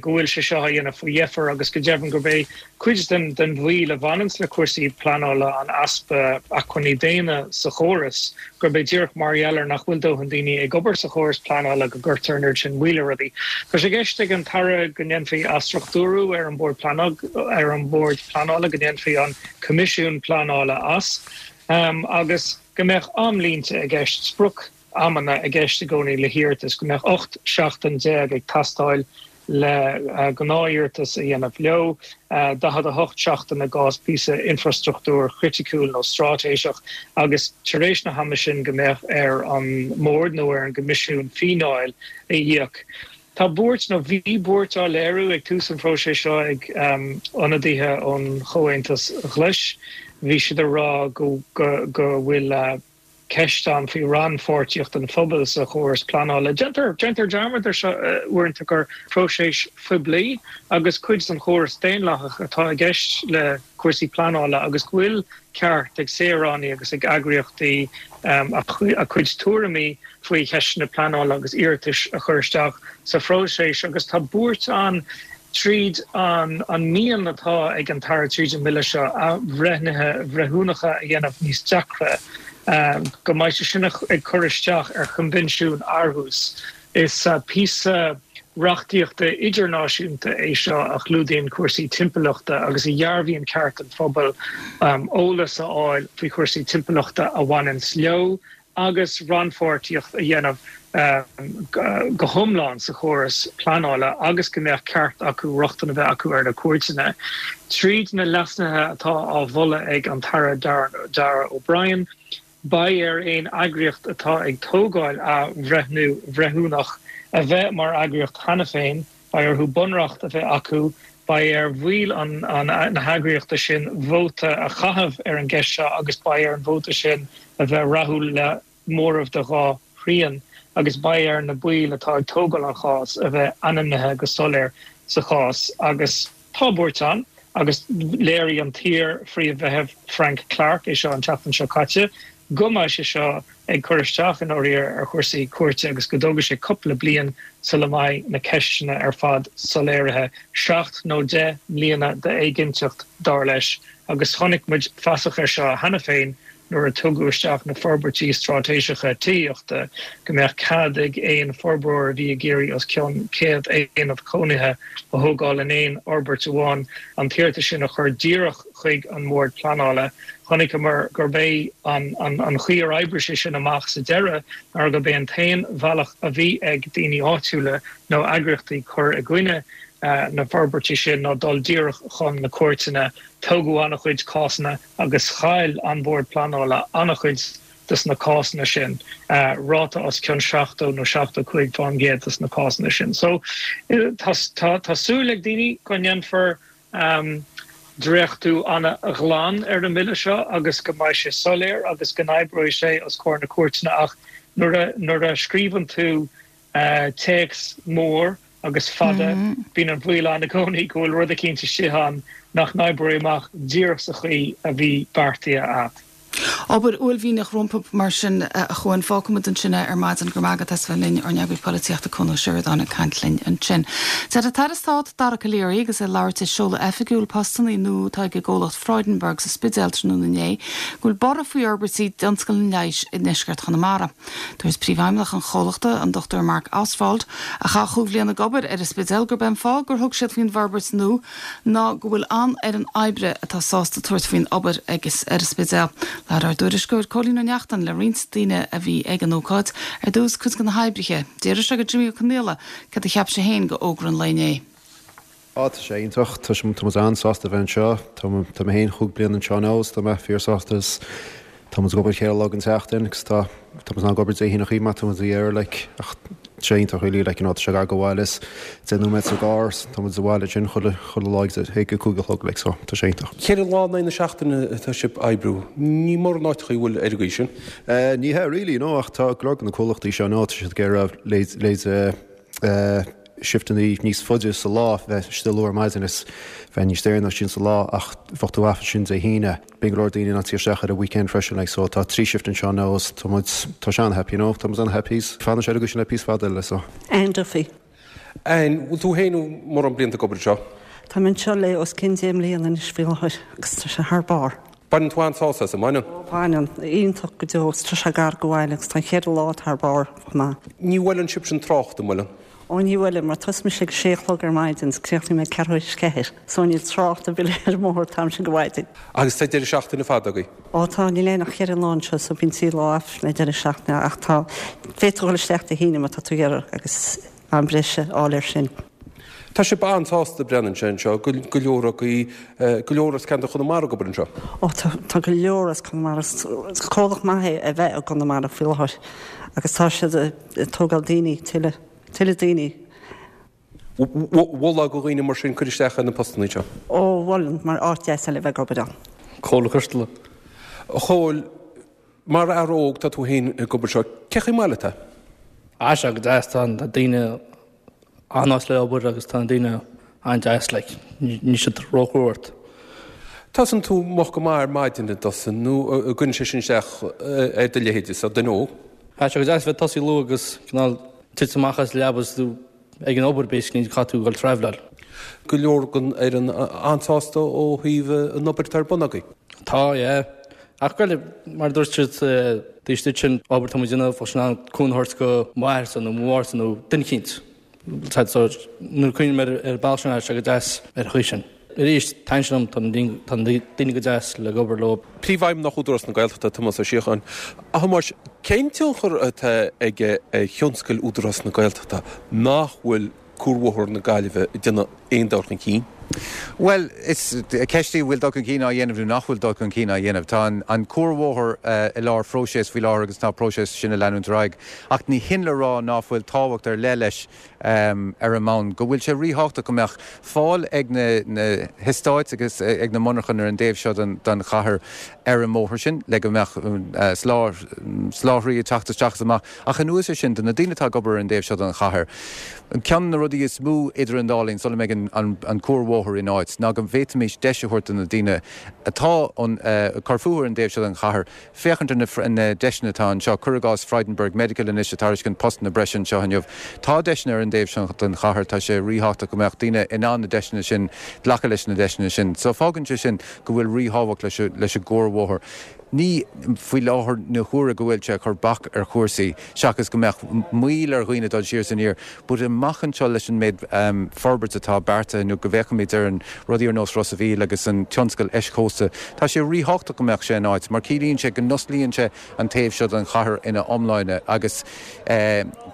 go bhfuil sé seo á dhéanamh faoi dheifir agus go deimhin gurb é cuid den mhoill a bhaineanns le cúrsaí pleanála an easpa acmhainní daonna sa chóras, gurb é díreach mar gheall ar nach bhfuil dóthain daoine ag obair sa chóras pleanála go gcuirtear an oiread sin moill ar rudaí. Tá sé i gceist ag an tAire go ndéanfaí athstruchtúrú ar an Bord ar an mBord Pleanála, go ndéanfaí an Coimisiún Pleanála as agus go mbeadh amlínte i gceist, sprioc-amanna i gceist i gcónaí le hiarratais, go mbeadh 18 seachtain ag teastáil le gnáth-iarratas a dhéanamh leo, 48 seachtain i gcás píosa infrastruchtúir chriticiúil nó straitéiseach, agus tar éis na hama sin go mbeadh ar an mBord nó ar an gCoimisiún fíneáil a íoc. Tá buairt, nó bhí buairt á léiriú ag tús an phróisis seo ag ionadaithe ón Chomhaontas Ghlais. Bhí siad ag rá go bhfuil ceist ann faoi rannpháirtíocht an phobail sa chóras pleanála. Déantar déantar dearmad ar seo uaireanta gur próiseas phoiblí agus cuid den chóras daonlathach atá i gceist le cúrsaí pleanála agus go bhfuil ceart ag saoránaigh agus ag eagraíochtaí a gcuid tuairimí faoi cheisteanna pleanála agus iarratais a chur isteach sa phróiseas agus tá buairt ann Tríd an mian atá ag an tAire tríd an mBille seo athbhreithnithe bhreithiúnacha a dhéanamh níos deacra, go mbeidh sé sin ag cur isteach ar Choinbhinsiún Aarhus. Is píosa reachtaíochta idirnáisiúnta é seo a chlúdaíonn cúrsaí timpeallachta agus a dhearbhaíonn ceart an phobail eolas a fháil faoi chúrsaí timpeallachta a bhaineanns leo agus rannpháirtíocht a dhéanamh go hiomlán sa chóras pleanála agus go mbeadh ceart acu rochtain a bheith acu ar na cúirteanna. Tríd na leasuithe atá á mholadh ag an tAire Darragh O'Brien, beidh ar aon eagraíocht atá ag tógáil athbhreithniú bhreithiúnach a bheith mar eagraíocht cheana féin, beidh orthu bunreacht a bheith acu, beidh ar bhaill na heagraíochta sin vóta a chaitheamh ar an gceist seo agus beidh ar an vóta sin a bheith rathúil le móramh de dhá thrian agus beidh ar na baill atá ag tógáil an chás a bheith ainmnithe go soiléir sa chás agus tá buairt ann agus léirigh an t-iar-Phríomh-Bhreitheamh Frank Clarke é seo an tseachtain seo caite go mbeidh sé seo ag cur isteach i ndáiríre ar chúrsaí cúirte agus go dtógfaidh sé cúpla bliain sula mbeidh na ceisteanna ar fad soiléirithe, seacht nó 10 mbliana d'éiginnteacht, dar leis, agus chonaic muid fasach air seo cheana féin nuair a tugadh isteach na forbairtí straitéiseacha tithíochta, go mbeadh cead ag aon forbróir a bhí ag iarraidh os cionn 100 aonad cónaithe a thógáil in aon fhorbairt amháin an t-iarratas sin a chur díreach. chuig an mBord Pleanála. Chonaiceamar gurb é an chaoi ar oibrigh sé sin amach sa deireadh ná gurb é an t-aon bhealach a bhí ag daoine áitiúla nó eagraíochtaí cur i gcoinne na forbairtí sin ná dul díreach chun na cúirteanna. Tógadh an-chuid cásanna agus chaill an Bord Pleanála an-chuid dos na cásanna sin, ráta os cionn 70 nó 75 fán gcéad dos na cásanna sin. So tá tá súil ag daoine go ndéanfar dréachtú an-ghlan ar an mbille seo agus go mbeidh sé soiléir agus go n-oibreoidh sé os comhair na cúirteanna ach nuair a nuair a scríobhann tú téacs mór agus fada, bíonn an baol ann i gcónaí go bhfuil rud eicínt istigh ann nach n-oibreoidh amach díreach sa chaoi a bhí beartaithe a'd. Obair uaillmhianach rompu mar sin, a Chuain. Fágfaimid ansin é ar maidin. Go raibh maith agat as bheith linn, ár n-eagraí polaitíochta Cuan Ó Seireadáin ag caint linn ansin. Deir an tAire Stáit Dara Calleary agus é ag labhairt ag seoladh oifigiúil postannaí nua atá ag an gcomhlacht Freudenberg sa Spidéal tráthnóna inné go bhfuil borradh faoi fhorbairtí i dtionscal an leighis i ndeisceart Chonamara. Dúirt Príomhfheidhmeannach an chomhlachta, an Dr Mark Ostwald, a chaith chúig bhliana ag obair ar an Spidéal, gurb é an fáth gur thug siad faoin bhforbairt nua ná go bhfuil an-fhoireann oibre atá sásta tabhairt faoin obair ag ar an Spidéal. Labhair ár dtuairisceoir Cóilín Ó Neachtain le roinnt daoine a bhí ag an ócáid, ar dtús cuid de na hoibrithe. D'fhiafraigh sé de Jimmy Ó Conaola céard a cheap sé féin de fhógra an lae inné. Á, tá sé iontach. Tá sé, tá muid an-sásta a bheith anseo. Tá, tá mé féin chúig bliana anseo anois is tá mé fíorshásta is tá muid ag obair cheithre lá den tseachtain agus tá, tá muid in ann ag obair Dé hAoine chomh maith, tá muid ag iarraidh like ach tá sé iontach really like you know tá sé gar go bhaile is 10 nóiméad sa gcarr is tá muid sa bhaile ansin chuile, chuile lá ag, ag a 5 a chlog like so tá sé iontach. Ceithre lá in aghaidh na seachtaine atá sibh ag oibriú. Ní mórán áiteacha a bhfuil ar an gcaoi sin. Eh ní hea really no ach tá go leor de na comhlachtaí seo now tá siad ag iarraidh leid, leid eh eh shifteanna níos faide sa lá, bheith istigh luath ar maidin is bheith níos deireanaí ansin sa lá ach bheadh tú off ansin Dé hAoine. Bíonn go leor daoine in ann tíocht isteach ar an weekend freisin like so tá trí shift anseo now is tá muid, tá sé an-happy you know, tá muid an-happy is fanfaidh sé ar an gcaoi sin le píosa fada eile so. Anne Duffy. Anne, bhfuil tú féin mórán blianta ag obair anseo? Tá mé anseo le os cionn 10 mbliana anois faoi láthair agus tá sé thar barr. Baineann tú an-sásamh as, an mbaineann? Ó, baineann. Iontach go deo. Tá sé gar go bhaile agus tá an cheithre lá thar barr chomh maith. Ní bhuaileann sibhse an trácht, an mbuaileann? Ó, ní bhuaileann, mar tosaíonn mise ag a sé a chlog ar maidin is críochnaím ag ceathrú théis ceathair. So níl trácht ar bith ar an mbóthar an t-am sin de mhaidin. Agus tá deireadh seachtaine fada agaibh? Ó tá, níl aon ach cheithre lá anseo so bíonn trí lá off le deireadh seachtaine ach tá, féadfaidh tú dhul isteach Dé hAoine má tá tú ag iarraidh agus am breise a fháil air sin. Tá sibh an-sásta, breathnaíonn sé anseo, go go leor agaibh, go leor as ceantar Chonamara ag obair anseo. Ó tá, tá go leor as Conamara. Is comhlacht maith é a bheith i gConamara faoi láthair agus tá siad ag tógáil daoine, tuilleadh, tuilleadh daoine. Mholfá do dhaoine mar sin cur isteach ar na postanna seo? Ó mholfainn, mar áit deas é le bheith ag obair ann. Cóil Ó Coisteala. A Chóil, mar fhear óg tá tú féin ag obair anseo, cé chaoi maith leat é? Tá sé go deas, tá na daoine an-nice le obair agus tá na daoine an-deas like, níl siad róchrua ort. Tosaíonn tú moch go maith ar maidin an dtosaíonn nó an gcuireann sé sin isteach ar do leithéide, sa duine óg? Tá sé go deas bheith tosaí luath agus cineál titim amach as leaba is tú ag an obair basically caithfidh tú dul traveláil. Go leor den fhoireann an-sásta ó thaobh an obair atá ar bun agaibh. Tá, yeah. Ach bhuel, mar a dúirt siad taobh istigh sin, obair atá muid a dhéanamh, bheadh sin in ann cúnamh a thabhairt do m'athairse nó mo mháthairse nó duine eicínt. So, nuair a cuimhním ar an bealach sin, tá sé go deas ar an chaoi sin. Arís, taitníonn sé liom, tá na daoine go deas le obair leo. Príomhfheidhmeannach Údarás na Gaeltachta, Tomás Ó Síocháin. A Thomáis, cén tionchar atá aige ar thionscal Údarás na Gaeltachta nach bhfuil Cuarbhóthar na Gaillimhe ag déanamh aon dul chun cinn? Bhuel, is ceist í an bhfuil dul chun cinn á dhéanamh nó nach bhfuil dul chun cinn á dhéanamh. Tá an cuarbhóthar i lár phróiseas faoi láthair agus tá an próiseas sin ag leanúint ar aghaidh. Ach ní hin le rá ná fuil tábhacht ar leith leis ar an mbonn go bhfuil sé ríthábhachtach go mbeadh fáil ag na heastáit agus ag na monarchain ar an dtaobh seo den chathair ar an mbóthar sin le go mbeadh soláthraí ag teacht isteach is amach. Ach anuas air sin, do na daoine atá ag obair ar an dtaobh seo den chathair, ceann de na rudaí is mó idir an dá linn sula mbeidh an cuarbhóthar in áit ná go bhféadfaimis deis a thabhairt do na daoine atá ag cur fúthu ar an dtaobh seo den chathair féachaint ar na deiseanna atá anseo. Cuir i gcás Freudenberg Medical anois ag tairiscint postanna breise anseo inniu. Tá deiseanna ar an dtaobh seo den chathair. Tá sé ríthábhachtach go mbeadh daoine in ann na deiseanna sin, glacadh leis na deiseanna sin. So fágann sé sin go bhfuil ríthábhacht leis an gcuarbhóthar. Ní faoi láthair na huaire go bhfuil sé ag cur bac ar chúrsaí, seachas go mbeadh moill ar dhaoine dul siar is aniar, but amach anseo leis an méid forbairt atá beartaithe nó go bhféachfaimid ar an rudaí ar nós Ros a' Mhíl agus an tionscal eischósta, tá sé ríthábhachtach go mbeadh sé in áit mar ciallaíonn sé go n-osclaíonn sé an taobh seo den chathair ina iomláine agus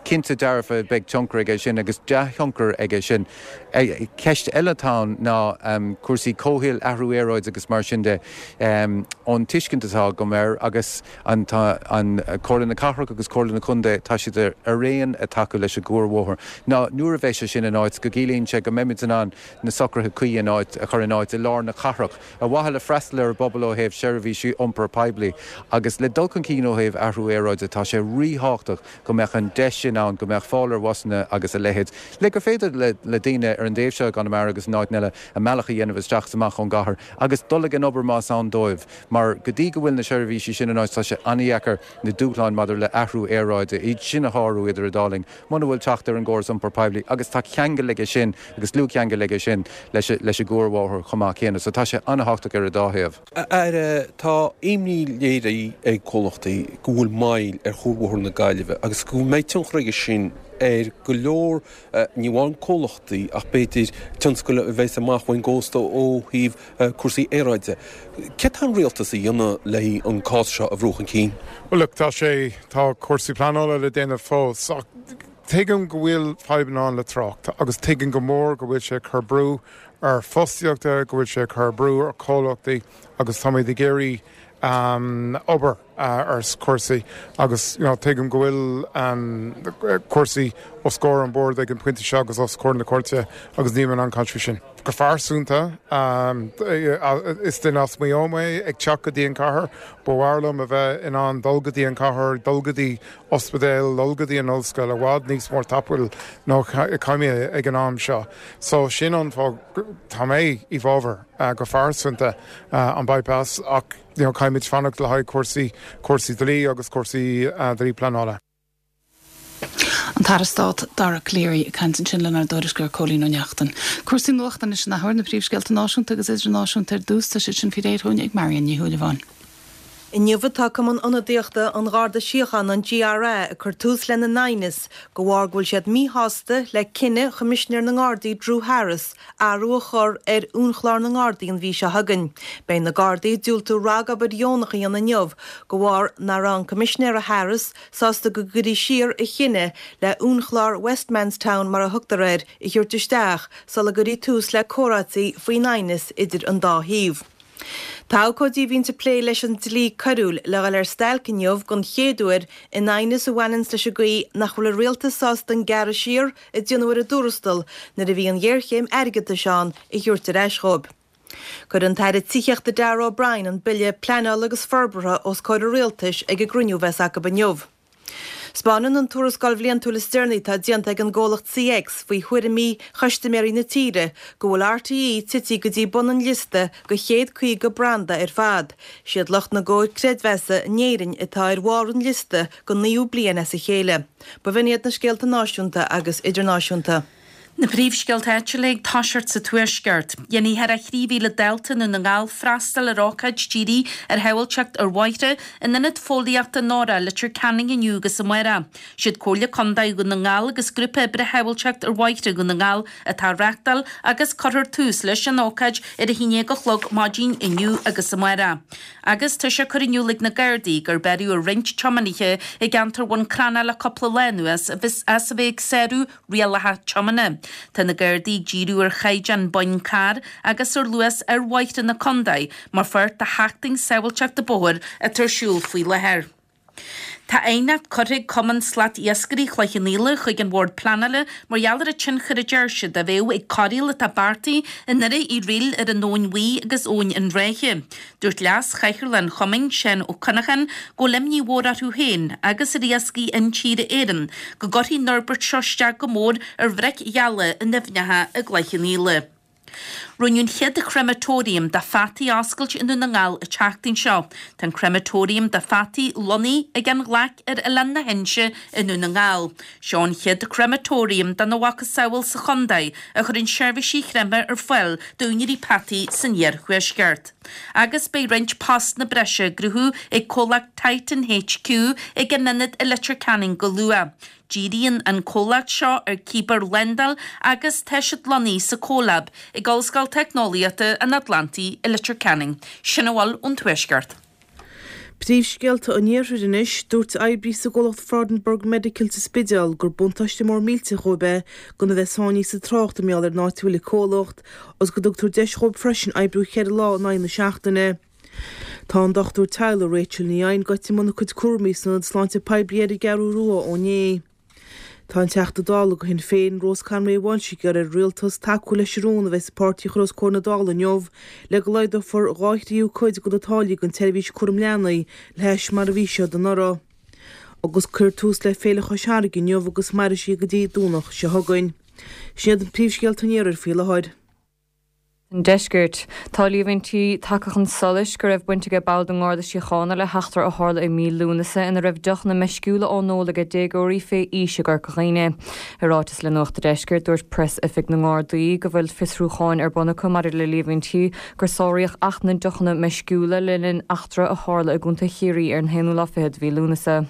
cinnte dearfa beidh tionchar aige sin agus dea-thionchar aige sin. Ceist eile atá ann ná cúrsaí comhshaoil, athrú aeráide agus mar sin de. Ón tuiscint atá agam air agus an tá an Comhairle na Cathrach agus Comhairle na Contae, tá siad araon ag tacú leis an gcuarbhóthar, ná nuair a bheidh sé sin in áit go gciallaíonn sé go mbeimid in ann na socruithe cuí in áit a chur in áit i lár na cathrach ar mhaithe le freastal ar an bpobal ó thaobh seirbhísí iompair poiblí agus le dul chun cinn ó thaobh athrú aeráide tá sé ríthábhachtach go mbeadh an deis sin ann, go mbeadh fáil ar bhusanna agus a leithéid, le gur féidir le daoine ar an dtaobh seo i gConamara agus in áiteanna eile a mbealach a dhéanamh isteach is amach ón gcathair agus dul ag an obair más ann dóibh, mar go dtí go bhfuil na seirbhísí sin in áit tá sé an-dheacair na dúshláin maidir le athrú aeráide, iad sin a shárú idir an dá linn, muna bhfuil teacht ar an gcóras iompair poiblí agus tá ceangal aige sin agus dlúthcheangal aige sin leis an gcuarbhóthar chomh maith céanna. So tá sé an-thábhachtach ar an dá thaobh. A Aire, tá imní léirithe ag comhlachtaí go bhfuil moill ar Chuarbhóthar na Gaillimhe agus go mbeidh tionchar aige sin ar go leor, ní amháin comhlachtaí ach b'fhéidir tionscail a bheas amach ón gcósta ó thaobh cúrsaí aeráide. Céard tá an rialtas a dhéanamh le an cás seo a bhrú chun cinn? Bhuel look, tá sé, tá cúrsaí pleanála le déanamh fós ach tuigim go bhfuil fadhbanna ann le trácht agus tuigim go mór go bhfuil sé ag cur brú ar fostaíochta, go bhfuil sé ag cur brú ar chomhlachtaí agus táimid ag iarraidh obair ar chúrsaí agus you know tuigim go bhfuil cúrsaí os comhair an bhoird ag an pointe seo agus os comhair na cúirte agus níl mé in ann caint faoi sin. Go phearsanta, is duine as Maigh Eo mé ag teacht go dtí an chathair, ba mhaith liom a bheith in ann dul go dtí an chathair, dul go dtí ospidéal, dul go dtí an ollscoil i bhfad níos mór tapúil ná caithfidh mé ag an am seo. So sin an fáth tá mé i bhfabhar go phearsanta an bypass ach you know caithfimid fanacht le haghaidh cúrsaí, cúrsaí dlí agus cúrsaí dlí pleanála. An tAire Stáit Dara Calleary ag caint ansin lenár dtuairisceoir Cóilín Ó Neachtain. Cúrsaí nuachta anois an athuair, na príomhscéalta náisiúnta agus idirnáisiúnta ar dtús, tá siad sin faoi réir chugainn ag Marion Ní Shúilleabháin. Inniu atá Cumann Ionadaíochta an Gharda Síochána, an GRA, ag cur tús lena n aighneas de bharr go bhfuil siad míshásta le cinneadh Choimisinéir na nGardaí Drew Harris athrú a chur ar uainchlár na nGardaí an mhí seo chugainn. Beidh na Gardaí ag diúltú ragobair dheonach a dhéanamh inniu de bharr nach raibh an Coimisinéir Harris sásta go gcuirfí siar a chinneadh le uainchlár Westmanstown mar a thugtar air a thabhairt isteach sula gcuirfí tús le comhráití faoin aighneas idir an dá thaobh. Tá abhcóidí a bhíonns ag plé leis an dlí coiriúil le dhul ar stailc inniu don chéad uair in aighneas a bhaineanns leis an gcaoi nach bhfuil an rialtas sásta an gearradh siar a déanadh ar a dtuarastal nuair a bhí an ghéarchéim airgeadais ann a thabhairt ar ais dhóibh. Cuirfidh an tAire Tithíochta Darragh O'Brien an Bille Pleanála agus Forbartha os comhair an Rialtais ag an gcruinniú a bheas acu inniu. 'Spáineann an tuarascáil bhliantúil is deireanaí atá déanta ag an gcomhlacht CX faoi thuairimí chustaiméirí na tíre go bhfuil RTÉ tite go dtí bun an liosta de chéad 50 branda ar fad. Siad lucht na gcomhar creidmheasa in Éirinn atá ar bharr an liosta don naoú bliain as a chéile. B'in iad na scéalta náisiúnta agus idirnáisiúnta. Na príomhscéalta áitiúla ag toiseacht sa Tuaisceart. Dhéanfaidh thar 3,000 dalta i nDún na nGall freastal ar ócáid dírithe ar shábháilteacht ar bhóithre in Ionad Fóillíochta Nóra, Leitir Ceanainn inniu agus amárach. Siad Comhairle Contae Dhún na nGall agus Grúpa Oibre Shábháilteacht ar Bhóithre Dhún na nGall atá á reáchtáil agus cuirfear tús leis an ócáid ar a haon déag a chlog maidin inniu agus amárach. Agus tá sé curtha in iúl ag na Gardaí gur beireadh ar roinnt tiománaithe i gceantar Bhun Cranncha le cúpla lá anuas as a bheith ag sárú rialacha tiomána. Tá na Gardaí ag díriú ar chaighdeán boinn carr agus ar luas ar bhóithre na contae mar pháirt de Sheachtain Sábháilteachta Bóthair atá ar siúl faoi láthair. Tá aighneacht curtha ag Cumann Slat-Iascairí Chloich Cheann Fhaola chuig an Bhord Pleanála mar gheall ar an tionchar a deir siad a bheadh ag corraíl atá beartaithe i nDoire Uí Fhrighil ar an Abhainn Bhuí agus Abhainn an Rátha. Dúirt Leas-Chathaoirleach an Chumainn, Seán Ó Cuinneacháin, go bhfuil imní mhór orthu féin agus ar Iascaigh Intíre Éireann go gcuirfidh an fhorbairt seo isteach go mór ar bhric gheala in aibhneacha i gCloich Cheann Fhaola. Rinneadh an chéad chrematorium do pheataí a oscailt i nDún na nGall an tseachtain seo. Tá an Crematorium do pheataí lonnaithe ag an Ghlaic ar Oileán na hInse i nDún na nGall. Seo an chéad Crematorium dá mhacasamhail sa chontae a chuireann seirbhísí creimthe ar fáil d'úinéirí peataí san iarthuaisceart. Agus beidh roinnt postanna breise á gcruthú ag comhlacht Titan HQ ag a n-ionad i Leitir Ceanainn go luath. Díríonn an comhlacht seo ar cibearshlándáil agus tá siad lonnaithe sa CoLab ag Ollscoil Teicneolaíochta an Atlantaigh i Leitir Ceanainn. Sin a bhfuil ón Tuaisceart. Príomhscéalta an Iarthair anois, Dúirt oibrí sa gcomhlacht Freudenberg Medical sa Spidéal gur buntáiste mór millteach dhóibh é gan a bheith sáinnithe sa trácht i ngeall ar an áit a bhfuil an comhlacht, agus go dtugtar deis dhóibh freisin oibriú cheithre lá in aghaidh na seachtaine. Tá an dochtúir teaghlaigh Rachel Ní Eidhin gaibhte i mbun a cuid cúraimí san Ionad Sláinte Poiblí ar an gCeathrú Rua ó inné. Tá an Teachta Dála do Shinn Féin, Rose Conway Walsh ag iarraidh ar an Rialtas tacú leis an rún a bheas an páirtí a chur os comhair na Dála inniu le go laghdófar dhá thríú cuid de na táillí don tseirbhís cúram leanaí le hais mar a bhí siad anuraidh. Agus cuirfear tús le Féile Chois Fharraige inniu agus mairfidh sí go dtí Domhnach seo chugainn. Sin iad na príomhscéalta an iarthair faoi láthair. an Deiscirt. Tá líomhaintí tagtha chun solais go raibh baint aige ball den nGarda Síochána le heachtra a tharla i mí Lúnasa ina raibh deochanna meisciúla á n-ól aige déagóirí fé aois i gCorca Dhuibhne. I ráiteas le Nuacht a' Deiscirt, dúirt Preas-Oifig na nGardaí go bhfuil fiosrúcháin ar bun acu maidir le líomhaintí gur sáraíodh Acht na nDeochanna Meisciúla le linn eachtra a tharla i gContae Chiarraí ar an haonú lá fichead de mhí Lúnasa.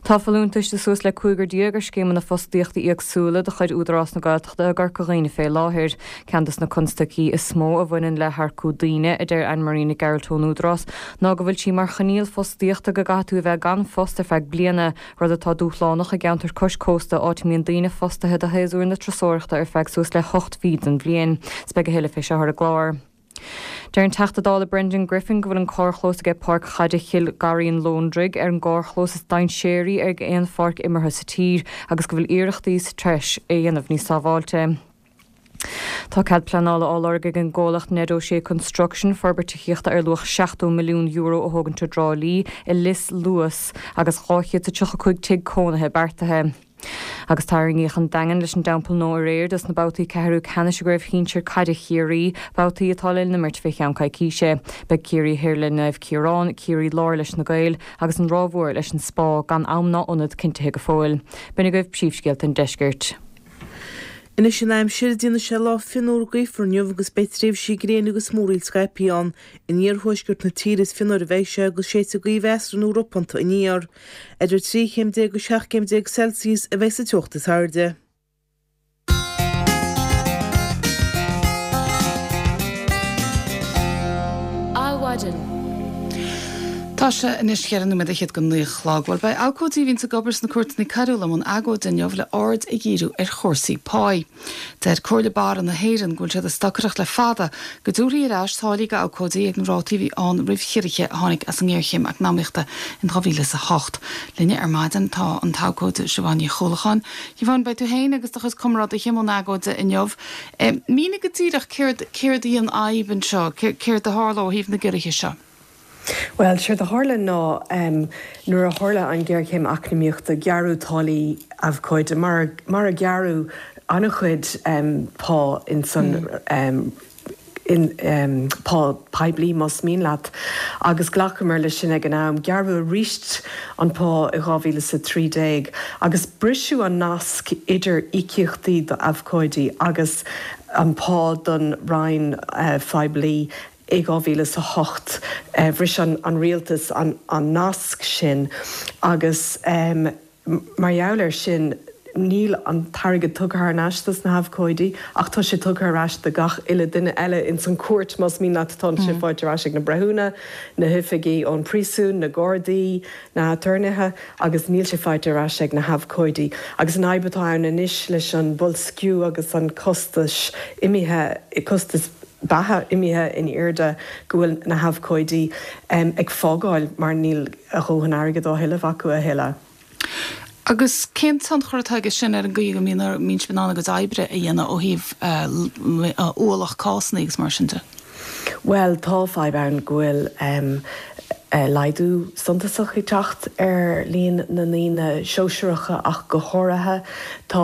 Tá folúntais de suas le 15 ar scéimeanna fostaíochta éagsúla de chuid Údarás na Gaeltachta i gCorca Dhuibhne fé láthair. Ceann des na constaicí is mó a bhaineann le hearcú daoine, a deir Anne Marie Nic Gearailt ón Údarás, ná go bhfuil sí mar choinníoll fostaíochta go gcaithfidh tú a bheith gan phost ar feadh bliana, rud atá dúshlánach i gceantar cois cósta áit a mbíonn daoine fostaithe do shéasúr na turasóireachta ar feadh suas le hocht mhí den bhliain. 'S beidh a thuilleadh fé seo ar an gclár. Deir an Teachta Dála Brendan Griffin go bhfuil an carrchlós aige Páirc Chaide Chill Garraí-An Lóndraigh ar an gcarrchlós is dainséaraí ag aon pháirc imeartha sa tír agus go bhfuil iarrachtaí sa treis é a dhéanamh níos sábháilte. Tá cead pleanála á lorg ag an gcomhlacht Ned O'Shea Construction forbairt tithíochta ar luach €70 milliún a thógaint i dTrá Lí i Lios Luas agus 235 tigh cónaithe beartaithe. Agus tarraingíodh an Daingean leis an dTeampall Nua aréir dos na babhtaí ceathrú ceannais i gCraobh Shinsir Caide Chiarraí, babhtaí atá le n-imirt fé cheann coicíse. Beidh Ciarraí Thoir le Naomh Ciarán, Ciarraí Láir leis na Gaeil agus an Ráth Mhór leis an Spá gan am ná ionad cinntithe go fóill. B'in agaibh príomhscéalta an deiscirt. Anois an aimsir, déanfaidh sé lá fionnuar gaofar inniu agus beidh tréimhsí gréine agus múraíl scaipthe ann. In iarthuaisceart na tíre is fionnuaire a bheidh sé agus séidfidh gaoth mheasartha nó ropánta aniar. Idir 13 chéim agus 17 céim Celsius a bheidh sa teocht is airde. Adhmhaidin. Tá sé anois cheithre nóiméad fhichead go naoi a chlog. Bhuel, beidh abhcóidí a bhíonns ag obair sna cúirteanna coiriúla i mbun agóide inniu le aird a dhíriú ar chúrsaí páí. Deir Comhairle Barra na hÉireann go bhfuil siad ag stocaireacht le fada go dtabharfaí ar ais táillí d'abhcóidí ag na rátaí a bhí ann roimh chiorruithe a tháinig as an ngéarchéim eacnamaíochta in 2008. Linne ar maidin tá an t-abhcóide Siobhán Ní Chuallacháin. Siobhán, beidh tú féin agus do chuid comrádaithe i mbun agóide inniu. Mínigh go díreach céard céard í an fhadhb anseo, céard a tharla ó thaobh na gciorruithe seo? Bhuel, séard a tharla ná nuair a tharla an ghéarchéim eacnamaíochta, gearradh táillí abhcóide, mar mar a gearradh an-chuid pá ins an in pá poiblí, más mian leat, agus ghlacamar leis sin ag an am. Gearradh arís an pá i 2013 agus briseadh an nasc idir íocaíochtaí d'abhcóidí agus an pá don Roinn phoiblí. I 2008 bhris an rialtas an nasc sin agus mar gheall air sin níl an t-airgead tugtha thar n-ais dos na habhcóidí ach tá sé tugtha ar ais do gach uile duine eile ins an chúirt más mian leat. Tá sé faighte ar ais ag na breithiúna, na hoifigigh ón príosún, na gardaí, na haturnaetha agus níl sé faighte ar ais ag na habhcóidí. Agus an fhadhb atá ann anois leis an boilsciú agus an costais imithe, costas beatha imithe in airde go bhfuil na habhcóidí ag fágáil mar níl a dhóthain airgid á thuilleamh acu a thuilleadh. Agus cén tionchar atá aige sin ar an gcaoi go mbíonn mbíonn sibh in ann a gcuid oibre a dhéanamh ó thaobh ualach cásanna agus mar sin de? Bhuel, tá fadhb ann go bhfuil. laghdú suntasach ag teacht ar líon na ndaoine sóisearacha ach go háirithe. Tá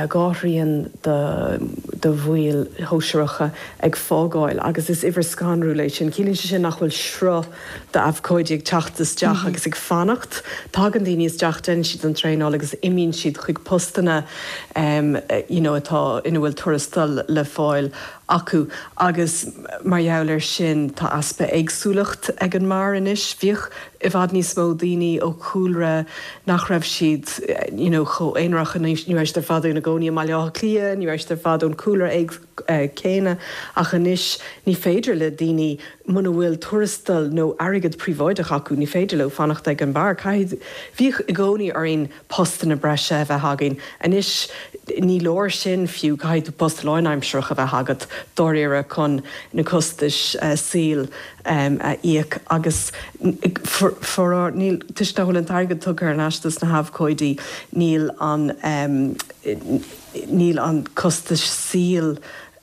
2/3 de bhaill shóisearacha ag fágáil agus is uimhir scanrúil é sin. Ciallaíonn sé sin nach bhfuil sruth d'abhcóidí ag teacht isteach agus ag fanacht. Tagann daoine isteach, déanann siad an traenáil agus imíonn siad chuig postanna you know atá, ina bhfuil tuarastal le fáil acu agus mar gheall air sin tá easpa éagsúlacht ag an mbarr anois. Bhíodh i bhfad níos mó daoine ó chúlra nach raibh siad you know chomh aonarach, ní raibh siad ar fad ina gcónaí i mBaile Átha Cliath, ní raibh siad ar fad ón cúlra céanna ach anois ní féidir le daoine muna bhfuil tuarastal nó airgead príobháideach acu ní féidir leo fanacht ag an mbarr. Caithfidh, bhíodh i gcónaí orainn postanna breise a bheith againn. Anois ní leor sin fiú, caithfidh tú post lánaimsearach a bheith agat dáiríre chun na costais saoil a íoc agus faraor níl, toisc nach bhfuil an t-airgead tugtha thar n-ais dos na habhcóidí, níl an, níl an costais saoil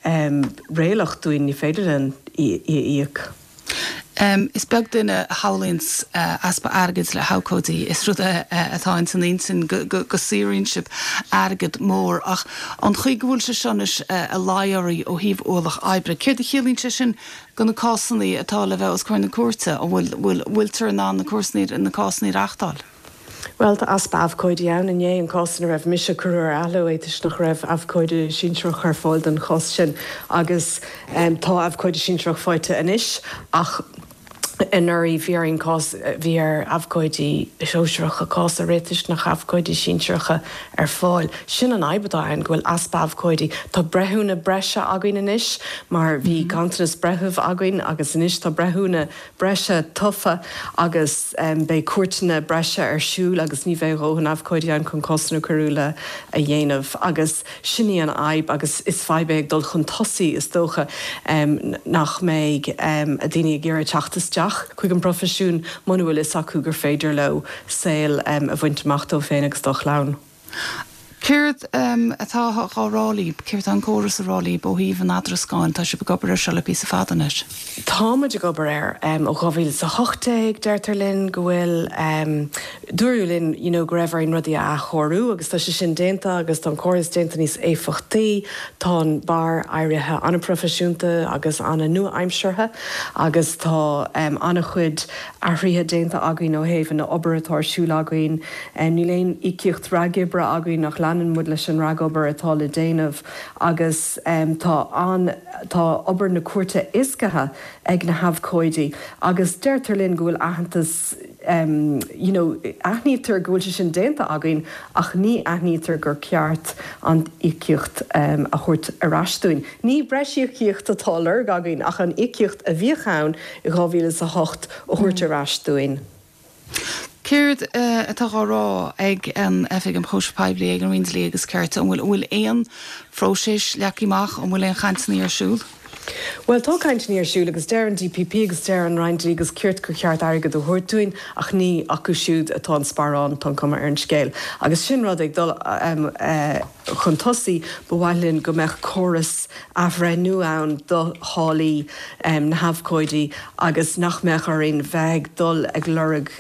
réalaíoch dúinn, ní féidir linn í a íoc. Is beag duine a shamhlaíonns easpa airgid le habhcóidí. Is rud é atá ins an intinn go saothraíonn sibh airgead mór. Ach an chaoi go bhfuil sé seo anois ag luí oraibh ó thaobh ualach oibre, céard a chiallaíonn sé sin do na cásanna atá le bheith os comhair na cúirte? An bhfuil, bhfuiltear in ann na cúrsanna, na cásanna a reachtáil? Bhuel, tá easpa abhcóidí ann. Inné, an cás ina raibh mise, cuireadh ar athló é toisc nach raibh abhcóide sinsearach ar fáil don chás sin. Agus tá abhcóide sinsearach faighte anois ach anuraidh bhí orainn cás, bhí ar abhcóidí sóisearacha cás a rith toisc nach raibh abhcóidí sinsearacha ar fáil. Sin an fhadhb atá ann, go bhfuil easpa abhcóidí. Tá breithiúna breise againn anois mar bhí ganntanas breitheamh againn agus anois tá breithiúna breise tofa agus beidh cúirteanna breise ar siúl agus ní bheidh a dhóthain abhcóidí ann chun cásanna coiriúla a dhéanamh agus sin í an fhadhb agus is fadhb é ag dul chun tosaigh is dócha nach mbeidh daoine ag iarraidh teacht isteach chuig an bproifisiún muna bhfuil fhios acu gur féidir leo saol a bhaint amach dóibh féin agus dá chlann. Céard atá á rá libh, céard atá an córas a rá libh ó thaobh an eadrascáin? Tá sibh ag obair air seo le píosa fada anois. Tá muid ag obair air ó 2018, deirtear linn go bhfuil, dúradh linn you know go raibh orainn rudaí a athchóiriú agus tá sé sin déanta agus tá an córas déanta níos éifeachtaí, tá an barr éirithe an-proifisiúnta agus an-nua-aimseartha agus tá an-chuid athruithe déanta againn ó thaobh an obair atá ar siúl againn. Níl aon íocaíocht ragoibre againn ach leanann muid leis an ragobair atá le déanamh agus tá an, tá obair na cúirte éascaithe ag na habhcóidí agus deirtear linn go bhfuil aitheantas you know aithnítear go bhfuil sé sin déanta againn ach ní aithnítear gur ceart an íocaíocht a thabhairt ar ais dúinn. Ní breis íocaíocht atá á lorg againn ach an íocaíocht a bhíodh ann i 2008 a thabhairt ar ais dúinn. Céard atá á rá ag an Oifig um Chúisimh Poiblí, ag an Roinn Dlí agus Cirt? An bhfuil, an bhfuil aon phróiseas leagtha amach? An bhfuil aon chainteanna ar siúl? Bhuel, tá cainteanna ar siúl agus deir an DPP agus deir an Roinn Dlí agus Cirt gur cheart airgead a thabhairt dúinn ach ní acu siúd atá an sparán, tá an cuma ar an scéal. Agus sin rud ag dul chun tosaigh, ba mhaith linn go mbeadh córas athbhreithniú ann do tháillí na habhcóidí agus nach mbeadh orainn bheith ag dul ag lorg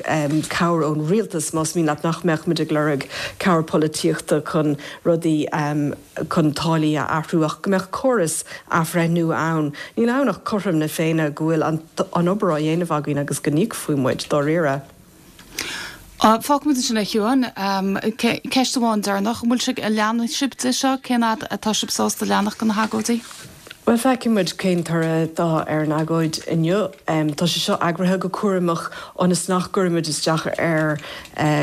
cabhair ón rialtas, más mian leat, nach mbeadh muid ag lorg cabhair polaitíochta chun rudaí, chun táillí a athrú ach go mbeadh córas athbhreithniú ann. Níl ann ach cothrom na Féinne go bhfuil an obair á dhéanamh againn agus go n-íocfaí muid, dáiríre. Fágfaimid ansin é, a Shiobháin. Ceist amháin deireanach, an bhfuil sibh, an leanfaidh sibh de seo? Cén fhad atá sibh sásta leanacht de na hagóidí? Bhuel, feicfidh muid cén toradh atá ar an agóid inniu. Tá sé seo eagraithe go cúramach ionas nach gcuirfimid isteach ar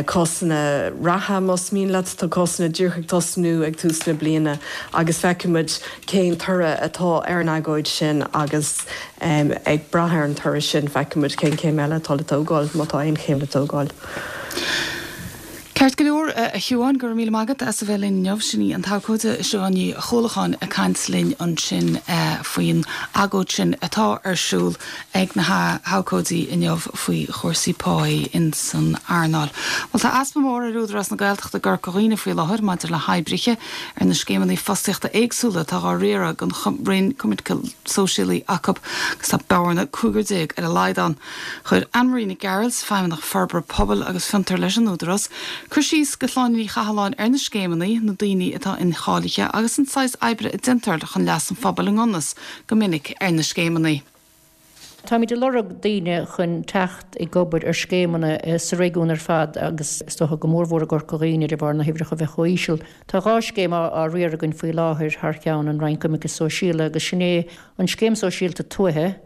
cásanna reatha, más mian leat. Tá cásanna díreach ag tosnú ag tús na bliana agus feicfidh muid cén toradh atá ar an agóid sin agus Ag brath ar an toradh sin, feicfidh muid cén chéim eile atá le tógáil, má tá aon chéim le tógáil. Ceart go leor, a Shiobháin, go raibh míle maith agat as a bheith linn inniu. Sin í an t-abhcóide Siobhán Ní Chuallacháin ag caint linn ansin faoin agóid sin atá ar siúl ag na habhcóidí inniu faoi chúrsaí páí in san earnáil. Bhuel, tá easpa mór ar Údarás na Gaeltachta i gCorca Dhuibhne faoi láthair maidir le hoibrithe ar na scéimeanna fostaíochta éagsúla atá dhá riaradh ag an Roinn Coimirce Sóisialaí acu agus tá bearna 15 ar a laghad ann. Chuir Anne-Marie Nic Gearailt, Feidhmeannach Forbartha Pobail agus Fiontar leis an Údarás, cur síos go Shláine Ní Chathalláin ar na scéimeanna, na daoine atá incháilithe agus an saghas oibre a déantar chun leas an phobail i ngan fhios go minic ar na scéimeanna. Táimid ag lorg daoine chun teacht ag obair ar scéimeanna sa réigiún ar fad agus is dócha go mórmhór i gCorca Dhuibhne de bharr na huimhreacha bheith chomh íseal. Tá 2 scéim á riar againn faoi láthair thar cheann an Roinn Coimirce Sóisialaí agus sin é an Scéim Sóisialta Tuaithe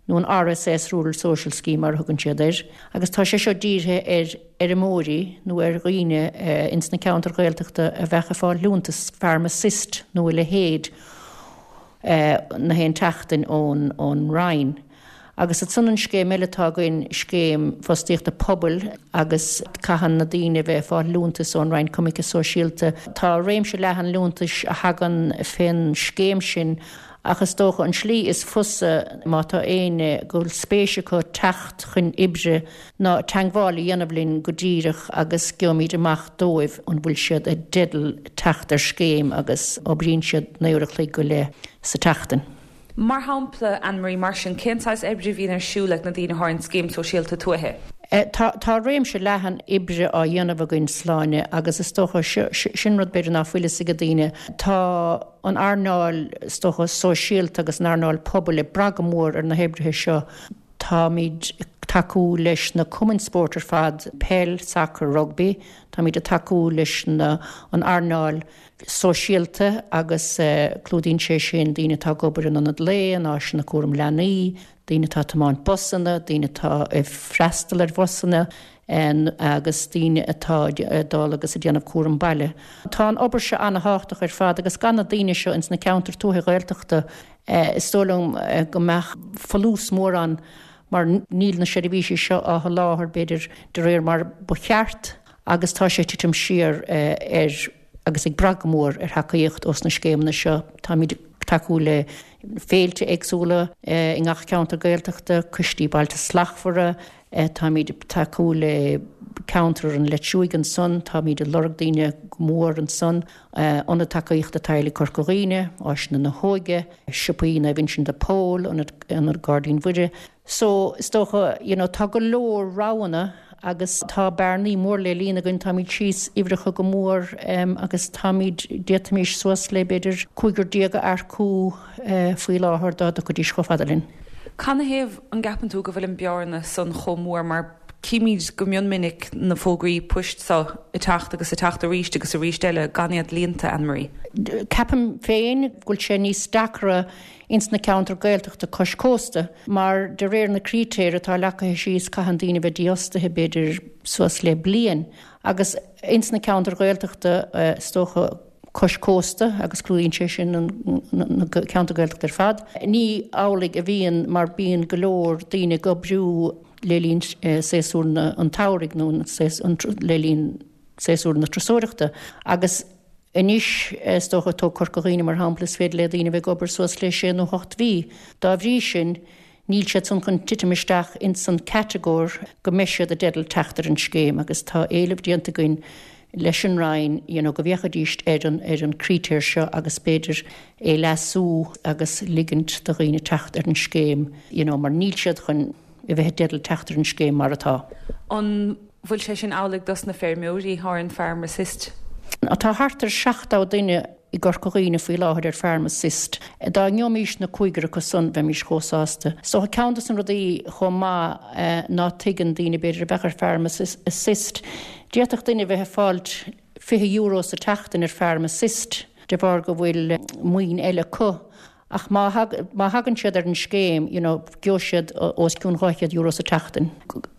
nó an RSS, Rural Social Scheme mar a thugann siad air, agus tá sé seo dírithe ar fheirmeoirí nó ar dhaoine ins na ceantair Ghaeltachta a bheadh ag fáil liúntas Farm Assist nó a leithéid na haon tseachtain ón Roinn. Agus ansan an scéim eile atá againn, scéim fostaíochta pobail agus caitheann na daoine a bheith ag fáil liúntas ón Roinn Coimirce Sóisialta. Tá réimse leathan liúntais a thagann fén scéim sin Ach is dócha an slí is fusa má tá éinne go bhfuil spéis acu teacht chun oibre ná teangmháil a dhéanamh linn go díreach agus gheobhaimid amach dóibh an bhfuil siad i dteideal teacht ar scéim agus oibríonn siad 9 uair a chloig go leith sa tseachtain. Mar shampla, Anne-Marie, mar sin, cén saghas oibre a bhíonn ar siúl ag na daoine atá ar an Scéim Sóisialta Tuaithe? Tá tá réimse leathan oibre á dhéanamh againn, Sláine, agus is dócha sin rud b'fhéidir ná fuil fhios ag daoine. Tá. an earnáil, is dócha, sóisialta agus an earnáil pobail ag brath go mór ar na hoibrithe seo. Táimid ag tacú leis na cumainn spóirt ar fad, peil, sacar, rugbaí. Táimid ag tacú leis na, an earnáil sóisialta agus clúdaíonn sé sin daoine atá ag obair in ionad lae, in áiseanna cúram leanaí, daoine atá ag tiomáint busanna, daoine atá ag freastal ar bhusanna, agus daoine atá ag dul agus ag déanamh cúram baile. Tá an obair seo ana-thábhachtach ar fad agus gan na daoine seo ins na ceantair tuaithe Ghaeltachta is dóigh liom go mbeadh folús mór ann mar níl na seirbhísí seo á sholáthar b'fhéidir de réir mar ba cheart agus tá sé ag titim siar ar agus ag brath go mór ar thacaíocht ós na scéimeanna seo. Táimid ag tacú le féilte éagsúla i ngach ceantar Gaeltachta, coistí Bailte Slachtmhara, Táimid ag tacú le ceantar an Leitriúigh ansan, táimid ag lorg daoine go mór ansan, Ionad Tacaíochta Teaghlaigh Corca Dhuibhne, Áiseanna na hÓige, Siopaí Naomh Uinseann de Pól, Ionad Gairdín Mhuire. So, is dócha, you know, tá go leor roghanna agus tá bearnaí mór le líonadh againn, táimid síos uimhreacha go mór agus táimid, d'fhéadfaimis suas le b'fhéidir 15 a earcú faoi láthair dá dtiocfaidís chomh fada linn. Canathaobh an gceapann tú go bhfuil an bearna san chomh mór mar címid go mion minic na fógraí poist seo ag teacht agus ag teacht arís agus arís eile gan iad líonta, Anne-Marie? Ceapaim féin go bhfuil sé níos deacra ins na ceantair Gaeltachta cois cósta mar de réir na critéir atá leagtha síos caitheann daoine bheith dífhostaithe b'fhéidir suas le bliain agus ins na ceantair Ghaeltachta is dócha cois cósta agus clúdaíonn sé sin na ceantair Gaeltachta ar fad. Ní amhlaidh a bhíonn mar bíonn go leor daoine ag oibriú le linn séasúr an tsamhraidh nó le linn séasúr na turasóireachta agus anois is dócha, tóg Corca Dhuibhne mar shampla, is féidir le daoine a bheith ag obair suas le sé nó hocht mhí. Dá bhrí sin, Níl siad san chun titim isteach ins an catagóir go mbeidh siad i dteideal teacht ar an scéim agus tá éileamh déanta againn leis an Roinn you know go bhféachfaidís ar an ar an critéar seo agus b'fhéidir é leasú agus ligint do dhaoine teacht ar an scéim you know mar níl siad chun a bheith i dteideal teacht ar an scéim mar atá. An bhfuil sé sin amhlaidh dos na feirmeoirí ar an Farm Assist? Tá thart ar 70 duine i gCorca Dhuibhne faoi láthair ar Farm Assist. Dá ngeobhaimís na cúigear acu san, bheimís chomh sásta. Is dócha ceann dos na rudaí chomh maith ná tuigeann daoine b'fhéidir a bheadh ar Farm Assist, d'fhéadfadh duine bheith ag fáilt €20 sa tseachtain ar Farm Assist de bharr go bhfuil maoin eile acu. Ach má má thagann siad ar an scéim, you know, gheobhaidh siad os cionn €200 sa tseachtain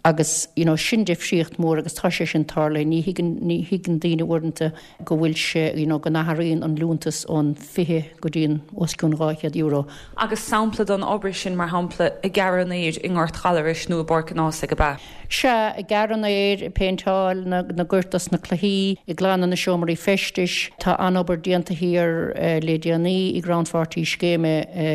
agus, you know, sin difríocht mhór agus tá sé sin tarlaithe. Ní thuigeann, ní thuigeann daoine uaireanta go bhfuil sé, you know, go n-athraíonn an liúntas ón 20 go dtí an os cionn €200. Agus sampla den obair sin, mar shampla, ag gearradh an fhéir i nGort Ghallarais nó i bPáirc an Ághasaigh, ab ea? Sea, ag gearradh an fhéir, ag péinteáil na gcoirt dos na cluichí, ag glanadh na seomraí feistis. Tá an-obair déanta thiar le déanaí i gcrannpháirtí scéime.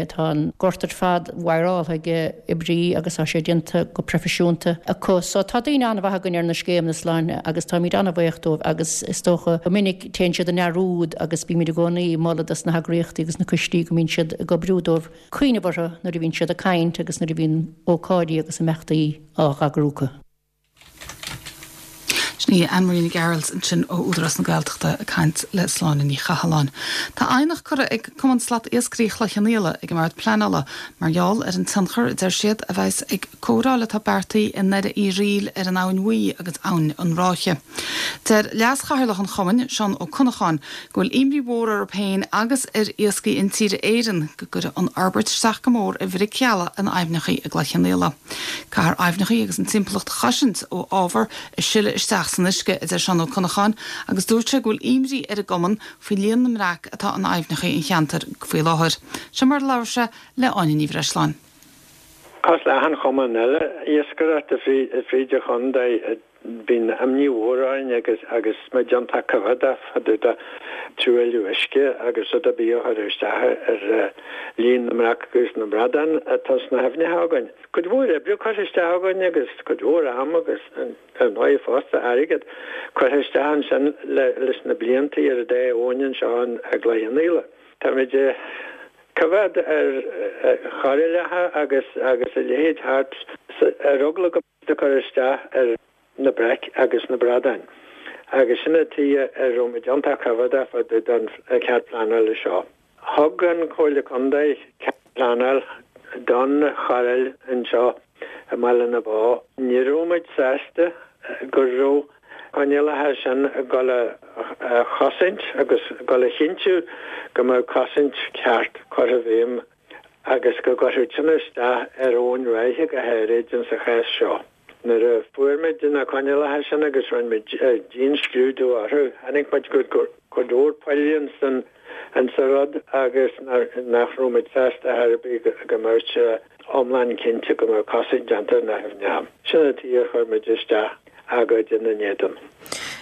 Tá an gort ar fad wire-áltha ag oibrí agus tá sé déanta go proifisiúnta acu. So tá daoine an-mhaith againn ar na scéimeanna Sláine agus táimid an-bhaoch dóibh agus is dócha go minic téann siad i ndearúd agus bímid i gcónaí ag moladh dos na heagraíochtaí agus na coistí go mbíonn siad ag oibriú dóibh. cuimhneamh orthu nuair a bhíonn siad ag caint agus nuair a bhíonn ócáidí agus imeachtaí á n-eagrú acu. Sin í Anne Marie Nic Gearailt ansin ó Údarás na Gaeltachta ag caint le Sláine Ní Chathalláin. Tá aighneacht curtha ag Cumann Slat Iascairí Chloich Cheann Fhaola ag an mBord Pleanála mar gheall ar an tionchar a deir siad a bheas ag cóireáil atá beartaithe i nDoire Uí Fhríl ar an Abhainn Bhuí agus Abhainn an Ráithe. Deir Leas-Chathaoirleach an Chumainn, Seán Ó Connacháin, go bhfuil imní mhór orthu féin agus ar Iascaigh Intíre Éireann go gcuirfidh an fhorbairt isteach go mór ar bhric gheala in aibhneacha i gCloich Cheann Fhaola. Caithfear aibhneacha agus an timpeallacht a chosaint ó ábhar a sileadh isteach san uisce, a deir Seán Ó Connacháin, agus dúirt sé go bhfuil imní ar an gcumann faoi líon na mbreac atá in aibhneacha an cheantair faoi láthair. Seo mar a labhair sé le Áine Ní Bhreisleáin. Cosúil le achan chumann eile iascaireachta fríd an chontae, bíonn imní mhór orainn agus agus muid iontach coimhdeach fá dtaobh de truailliú uisce agus rud ar bith a chuirfeadh isteach ar líon na mbreac agus na mbradán atá sna haibhneacha againn. Cuid mhór oibre curtha isteach againn agus cuid mhór ama agus ar ndóigh fosta airgead curtha isteach ansin leis na blianta ar an dá abhainn anseo i gCloich Cheann Fhaola. Táimid coimhéad ar chairéalacha agus agus a leithéid thart ar eagla go ag cur isteach ar na breac agus na bradáin agus sin an tuige a raibh muid iontach coimhéadach fá dtaobh den chead pleanála seo. Thug an Chomhairle Contae cead pleanála don chairéal anseo i mBaile na Bó. Ní raibh muid sásta go raibh coinníollacha sin ag dul a chosaint agus ag dul a chinntiú go mbeadh cosaint ceart curtha i bhfeidhm agus go gcuirfeadh sin isteach ar Abhainn Ráithe go háirid insa chás seo. Nuair a fuair muid na coinníollacha sin agus rinne muid dianscrúdú orthu, chonaic muid go raibh cuid mhór poill insan insa rud agus nach raibh muid sásta ar bith go mbeadh sé iomlán cinnte go mbeadh cosaint déanta ar na haibhneacha. Sin an tuige ar chuir muid isteach agóid ina n-éadan.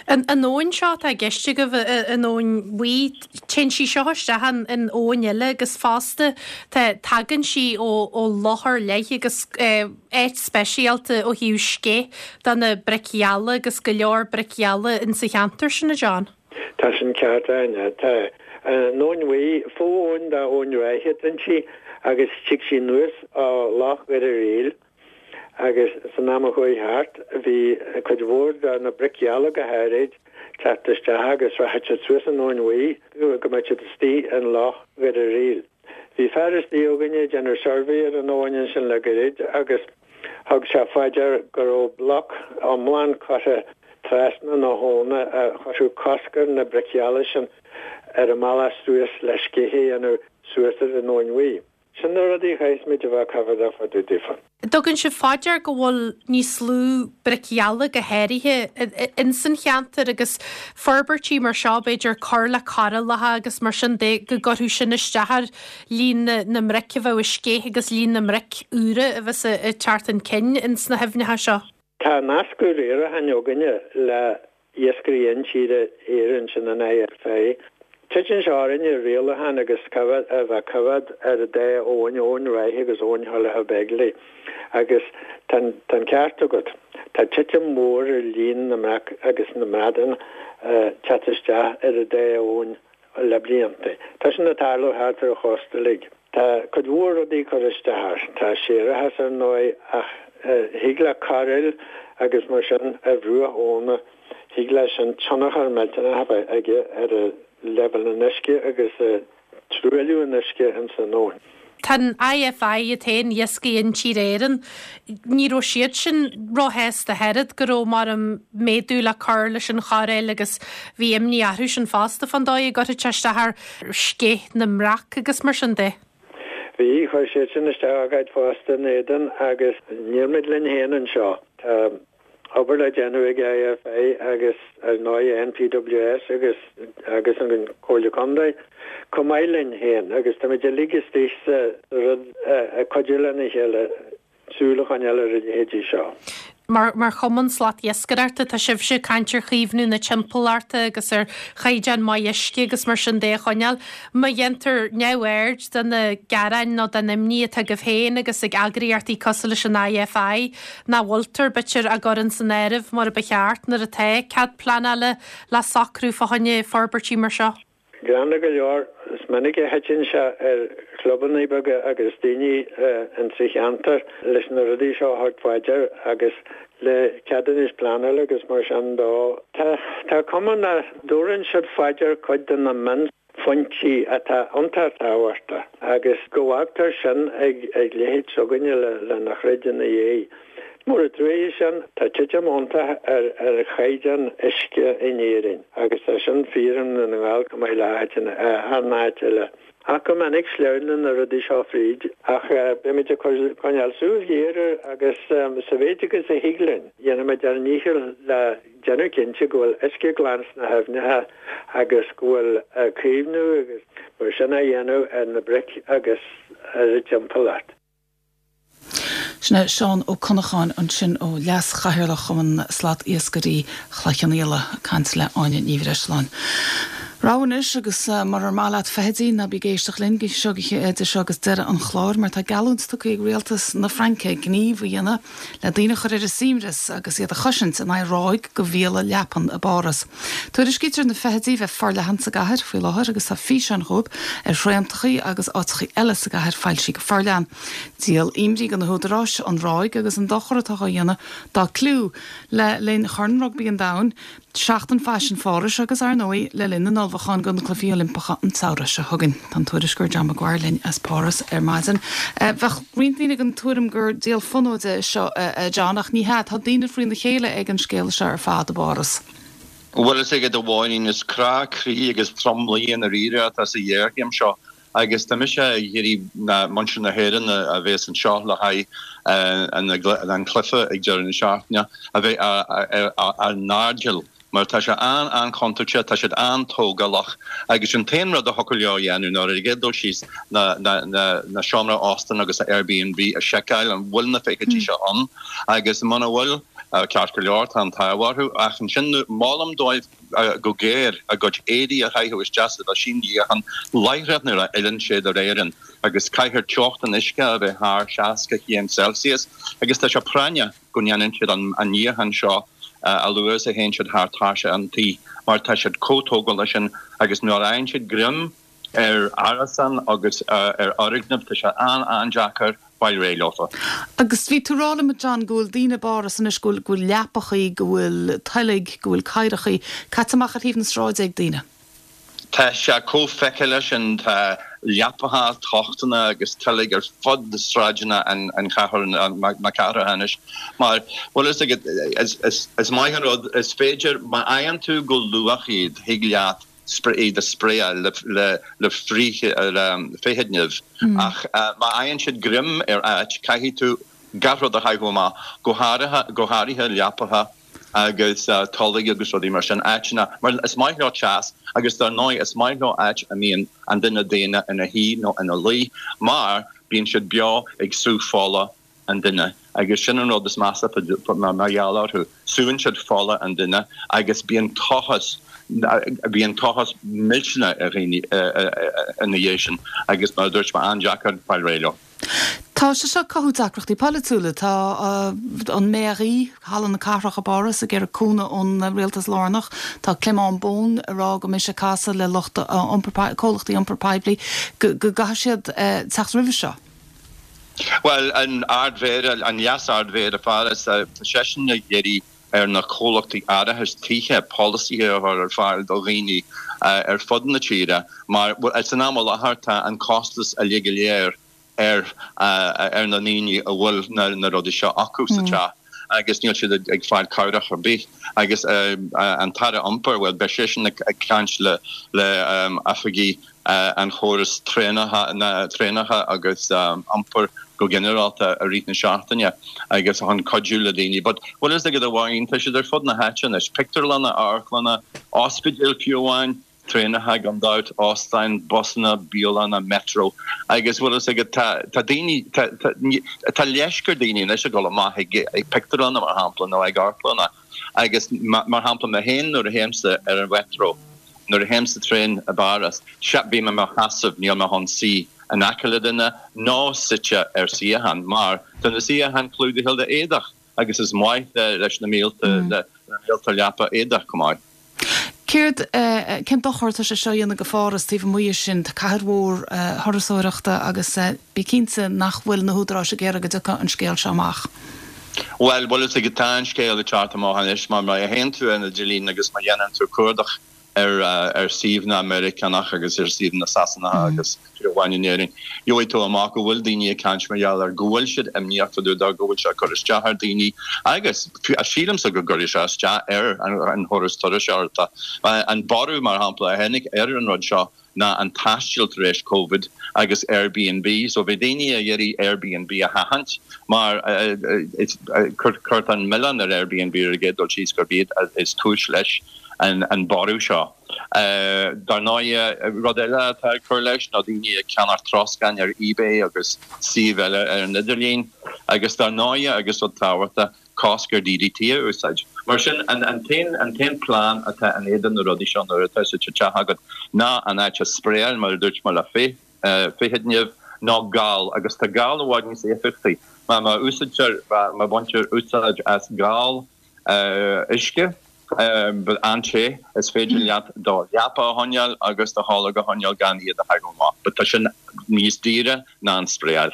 An abhainn seo atá i gceist agaibh, an Abhainn Bhuí, téann sí seo isteach in abhainn eile agus fosta tá, tagann sí ó loch ar leith agus áit speisialta ó thaobh sceith do na bric gheala agus go leor bric gheala insa cheantar sin, a John. Tá sin ceart, a Áine. Tá. An Abhainn Bhuí, fo-abhainn d'Abhainn Ráithe atá inti agus tig sí anuas ó Loch Dhoire Fhríl. Agus san am a chuaigh thart, bhí cuid mhór de na bric gheala go háirid teacht isteach agus rachadh siad suas an Abhainn Bhuí go mbeadh siad istigh in Loch Dhoire Fhríl. Bhí fear istigh againne ag déanamh suirbhé ar an abhainn ansin le gairid agus thug sé fá dear go raibh bloc iomlán curtha trasna na habhna a chuirfeadh cosc ar na bric gheala sin ar a mbealach suas le sceith a dhéanamh suas ar an Abhainn Bhuí. Sin na rudaí a chaithfeas muid a bheith coimhéadach fá dtaobh daofa. Dtugann sibh fá dear go bhfuil níos lú bric gheala go háirithe ins an cheantar agus forbairtí mar seo b'fhéidir cur le cairéalacha agus mar sin de go gcuirfeadh sin isteach ar líon na mbric a bheadh ag sceith agus líon na mbric úra a bheas ag teacht chun cinn ins na haibhneacha seo. Tá nascadh riaracháin againne le Iascairí Intíre Éireann, sin an IFI. Titeann sé orainne rialachán agus a bheith ag coimhéad ar an dá abhainn, Abhainn Ráithe agus Abhainn Thulacha Beigile. Agus tá an ceart agat, tá titim mhór ar líon na mbreac agus na mbradán teacht isteach ar an dá abhainn le blianta. Tá sin ag tarlú thart ar an chósta uilig. Tá cuid mhór rudaí ag cur isteach air. Tá séarachas ar ndóigh ach thig le cairéil agus mar sin ar bhruach abhna, thig leis sin tionchar millteanach a bheith aige ar leibhéal an uisce agus truailliú an uisce ins an abhainn. Tá an IFI iad féin, Iascaigh Intíre Éireann, ní raibh siad sin róshásta ach oiread go raibh mar an méadú le cur leis an chairéil agus bhí imní orthu sin fosta fán dóigh a gcuirfeadh sé isteach ar sceith na mbreac agus mar sin de. Bhí, chuir siadsan isteach agóid fosta in éadan agus níl muid linn féin anseo. Tá obair le déanamh ag IFI agus ar ndóigh NPWS agus agus an Comhairle Contae chomh maith linn féin agus táimid uilig istigh sa rud ag cuidiú lena chéile. súil a choinneáil ar a leithéidí seo. Mar mar chumann slatiascaireachta, tá sibhse ag caint ar chaomhnú na timpeallachta agus ar chaighdeán maith uisce agus mar sin de a choinneáil. Má dhéantar neamhaird de na gearáin nó den imní atá agaibh féin agus ag eagraíochtaí cosúil leis an IFI, nach bhfuiltear, b'fhéidir, á gcur ins an áireamh mar a ba cheart nuair atá cead pleanála le socrú fá choinne forbairtí mar seo. Gránna go leor, is minic a thiteann sé ar chlubanna beaga agus daoine insa cheantar leis na rudaí seo a thabhairt fá dear agus le ceadúnais pleanála agus mar sin dó. Tá cuma nach dtabharann siad fá dear cuid de na mionphointí atá iontach tábhachtach agus go bhfágtar sin ag leithéid s'againne lena throid ina dhiaidh. Mór an trua é sin, tá titim iontach ar chaighdeán uisce in Éirinn agus tá sin fíor i nDún na nGall chomh maith le achan áit eile. Ach go minic sleamhnann na rudaí seo fríd ach beimid ag coinneáil súil ghéar air agus sa mhéid agus a thig linn, déanfaimid ár ndícheall le déanamh cinnte go bhfuil uisce glan sna haibhneacha agus go bhfuil caomhnú agus mar sin á dhéanamh ar na bric agus ar an timpeallacht. Sin é Seán Ó Connacháin ansin ó Leas-Chathaoirleach Chumann Slat-Iascairí Chloich Cheann Fhaola ag caint le Áine Ní Bhreisleáin. Rabhadh anois agus murar maith leat feithidí ná bí ag éisteacht linn seo idir seo agus deireadh an chláir mar tá geallúint tugtha ag rialtas na Fraince gníomh a dhéanamh le daoine a chur ar a suaimhneas agus iad a chosaint in aghaidh ráig de mhíola leapan i bPáras. Tuairiscítear na feithidí bheith forleathan sa gcathair faoi láthair agus tá físeáin dhóibh ar thraentachaí agus áiteachaí eile sa gcathair foilsithe go forleathan. Díol imní do na húdaráis an ráig agus an dochar atá á dhéanamh dá cliú le linn Chorn Rugbaí an Domhain, Seachtain Faisin Phárais agus, ar ndóigh, le linn na n-ullmhúchán do na Cluichí Oilimpeacha an tsamhradh seo chugainn. Tá an tuairisceoir John Maguire linn as Páras ar maidin. Bheadh roinnt daoine den tuairim gur díol fonóide é seo, a John, ach ní hea, tá daoine faoina chéile ag an scéal seo ar fad i bPáras. Bhuel, is agat a Mháirín, is crá croí agus tromluí i ndáiríre atá sa ghéarchéim seo. Agus tá mise ag iarraidh muintir na hÉireann a bhéas anseo le haghaidh an cluiche ag deireadh na seachtaine a bheith ar a n-airdeall mar tá sé an-an-chontúirteach, tá siad an-tógálach agus an t-aon rud a thiocfadh leo a dhéanamh ná ar an gcéad dul síos na seomra óstáin agus Airbnb a sheiceáil an bhfuil na feithidí seo ann agus muna bhfuil, ceart go leor, tá an t-ádh orthu ach ansin molaim dóibh go géar a gcuid éadaí a chaitheamh isteach sa mheaisín níocháin láithreach nuair a fhilleann siad ar Éirinn agus caithfear teocht an uisce a bheith thar 60 chéim Celsius agus tá sé práinneach go ndéanann siad an níochán seo a luaithe is a théann siad thar tairseach an tí mar tá siad chomh tógálach sin agus nuair a fhaigheann siad greim ar árasán agus ar fhoirgneamh tá sé an-an-deacair fáil réidh leofa. Agus bhí tú ag rá liom, a John, go bhfuil daoine i bPáras anois, go bhfuil, go bhfuil leapachaí, go bhfuil toilg, go bhfuil cathaoireachaí caite amach ar thaobh na sráide ag daoine. Tá sé chomh feiceálach sin, tá leapacha, tochtanna agus toilg ar fud sráideanna an chathair, na cathrach anois. Mar, bhfuil fhios agat, is maith an rud, is féidir, má fhaigheann tú go luath iad, thig leat iad a spraeáil le frith-fheithidnimh ach má fhaigheann siad greim ar áit, caithfidh tú gach rud a chaitheamh amach, go háirithe, go háirithe leapacha agus tolg agus rudaí mar sin, áiteanna, mar is maith leo teas agus dar ndóigh is maith leo áit a mbíonn an duine daonna ina shuí nó ina luí mar bíonn siad beo ag sú fola an duine agus sin an rud is measa mar gheall orthu, súann siad fola an duine agus bíonn tochas, bíonn tochas millteanach ar dhaoine ina dhiaidh sin agus mar a dúirt mé, an-deacair fáil réidh leo. Tá sé seo ag cothú deacrachtaí polaitiúla. Tá an Mairie, Halla na Cathrach i bPáras, ag iarraidh cúnamh ón rialtas lárnach. Tá Clément Beaune ag rá go mbeidh sé ag casadh le lucht iompair, comhlachtaí iompair poiblí go gcaithfidh siad teacht roimhe seo. Bhuel, an Ard-Mhéara, an Leas-Ard-Mhéara Pháras, tá seisean ag iarraidh ar na comhlachtaí árachais tithe polasaithe a chur ar fáil do dhaoine ar fud na tíre mar, bhuel, san am i láthair tá an costas uilig go léir ar ar na ndaoine a bhfuil na rudaí seo acu sa teach agus níl siad ag fáil cabhrach ar bith. Agus an tAire Iompair, bhuel, beidh seisean ag caint le le oifigigh. an chóras traenacha, na traenacha agus iompar go ginearálta i rith na seachtaine agus chun cuidiú le daoine. But bhfuil fhios agat a Mháirín, tá siad ar fud na háite anois, pictiúrlanna, amharclanna, ospidéil fiú amháin, traenacha gan dabht, óstáin, busanna, bialanna, metro agus bhfuil fhios agat tá tá daoine tá tá tá leisce ar daoine anois ag dul amach ag ag pictiúrlanna mar shampla nó ag amharclanna agus mar shampla mé féin nuair a théimse ar an mheitreo Nuair a théim sa traein i bPáras, sea, bím i mo sheasamh, níl mé chun suí in aice le duine ná suite ar suíochán, mar tá na suíocháin clúdaithe le éadach agus is maith leis na míolta, le míolta leapa éadach chomh maith. Céard, cén dochar atá sé seo a dhéanamh go Pháras taobh amuigh de sin? Tá cathair mhór thurasóireachta agus bí cinnte nach bhfuil na húdaráis ag iarraidh go dtiocfadh an scéal seo amach. Bhuel, bhfuil fhios agat, tá an scéal ag teacht amach anois mar má théann tú ar an idirlíon agus má dhéanann tú cuardach ar ar suíomhanna Meiriceánach agus ar suíomhanna Sasanacha agus fiú amháin in Éirinn, gheobhaidh tú amach go bhfuil daoine ag caint mar gheall air, go bhfuil siad imníoch fá dtaobh de, go bhfuil sé ag cur isteach ar daoine agus sílimse go gcuirfidh sé isteach ar an chóras turasóireachta. An borradh, mar shampla, a tháinig ar an rud seo ná an taisteal tar éis Covid agus Airbnb. So bhí daoine ag iarraidh Airbnb a sheachaint mar cuirtear an milleán ar Airbnb ar an gcéad dul síos gurb iad is cúis leis an borradh seo. Dar ndóighe, rud eile atá ag cur leis ná daoine ag ceannach troscáin ar eBay agus suímh eile ar an idirlíon agus dar ndóighe agus rud tábhachtach, cosc ar DDT a úsáid. Mar sin, an t-aon plean atá in éadan na rudaí seo nuair atá siad sa teach agat ná an áit a spraeáil, mar a dúirt mé, le féithid-nimh nó gal, agus tá gal i bhfad níos éifeachtaí. Má úsáidtear, má bhaintear úsáid as gal uisce an-te, is féidir leat do leapa a choinneáil agus do tholg a choinneáil gan iad a thagadh amach. But tá sin níos daoire ná an spraeáil.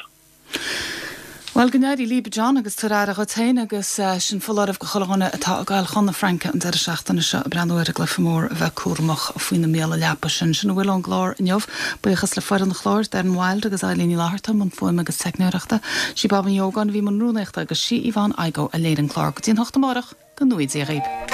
Bhuel, go n-éirí libh, a John, agus tabhair aire dhuit féin agus sin foláireamh go chuile dhuine atá ag goil chun na Fraince an deireadh seachtaine seo ag breathnú ar an gcluiche mór a bheith cúramach faoi na míola leapa sin. Sin a bhfuil ón gclár inniu. Buíochas le foireann an chláir, Darren Wilde agus Eilín Ní Fhlatharta i mbun fuaime agus teicneoireachta. Sí Baba Ní Ógáin a bhí i mbun rúnaíochta agus sí Yvonne Igoe a léirigh an clár. Go dtí an hocht amárach, go ngnóthaí Dia dhaoib.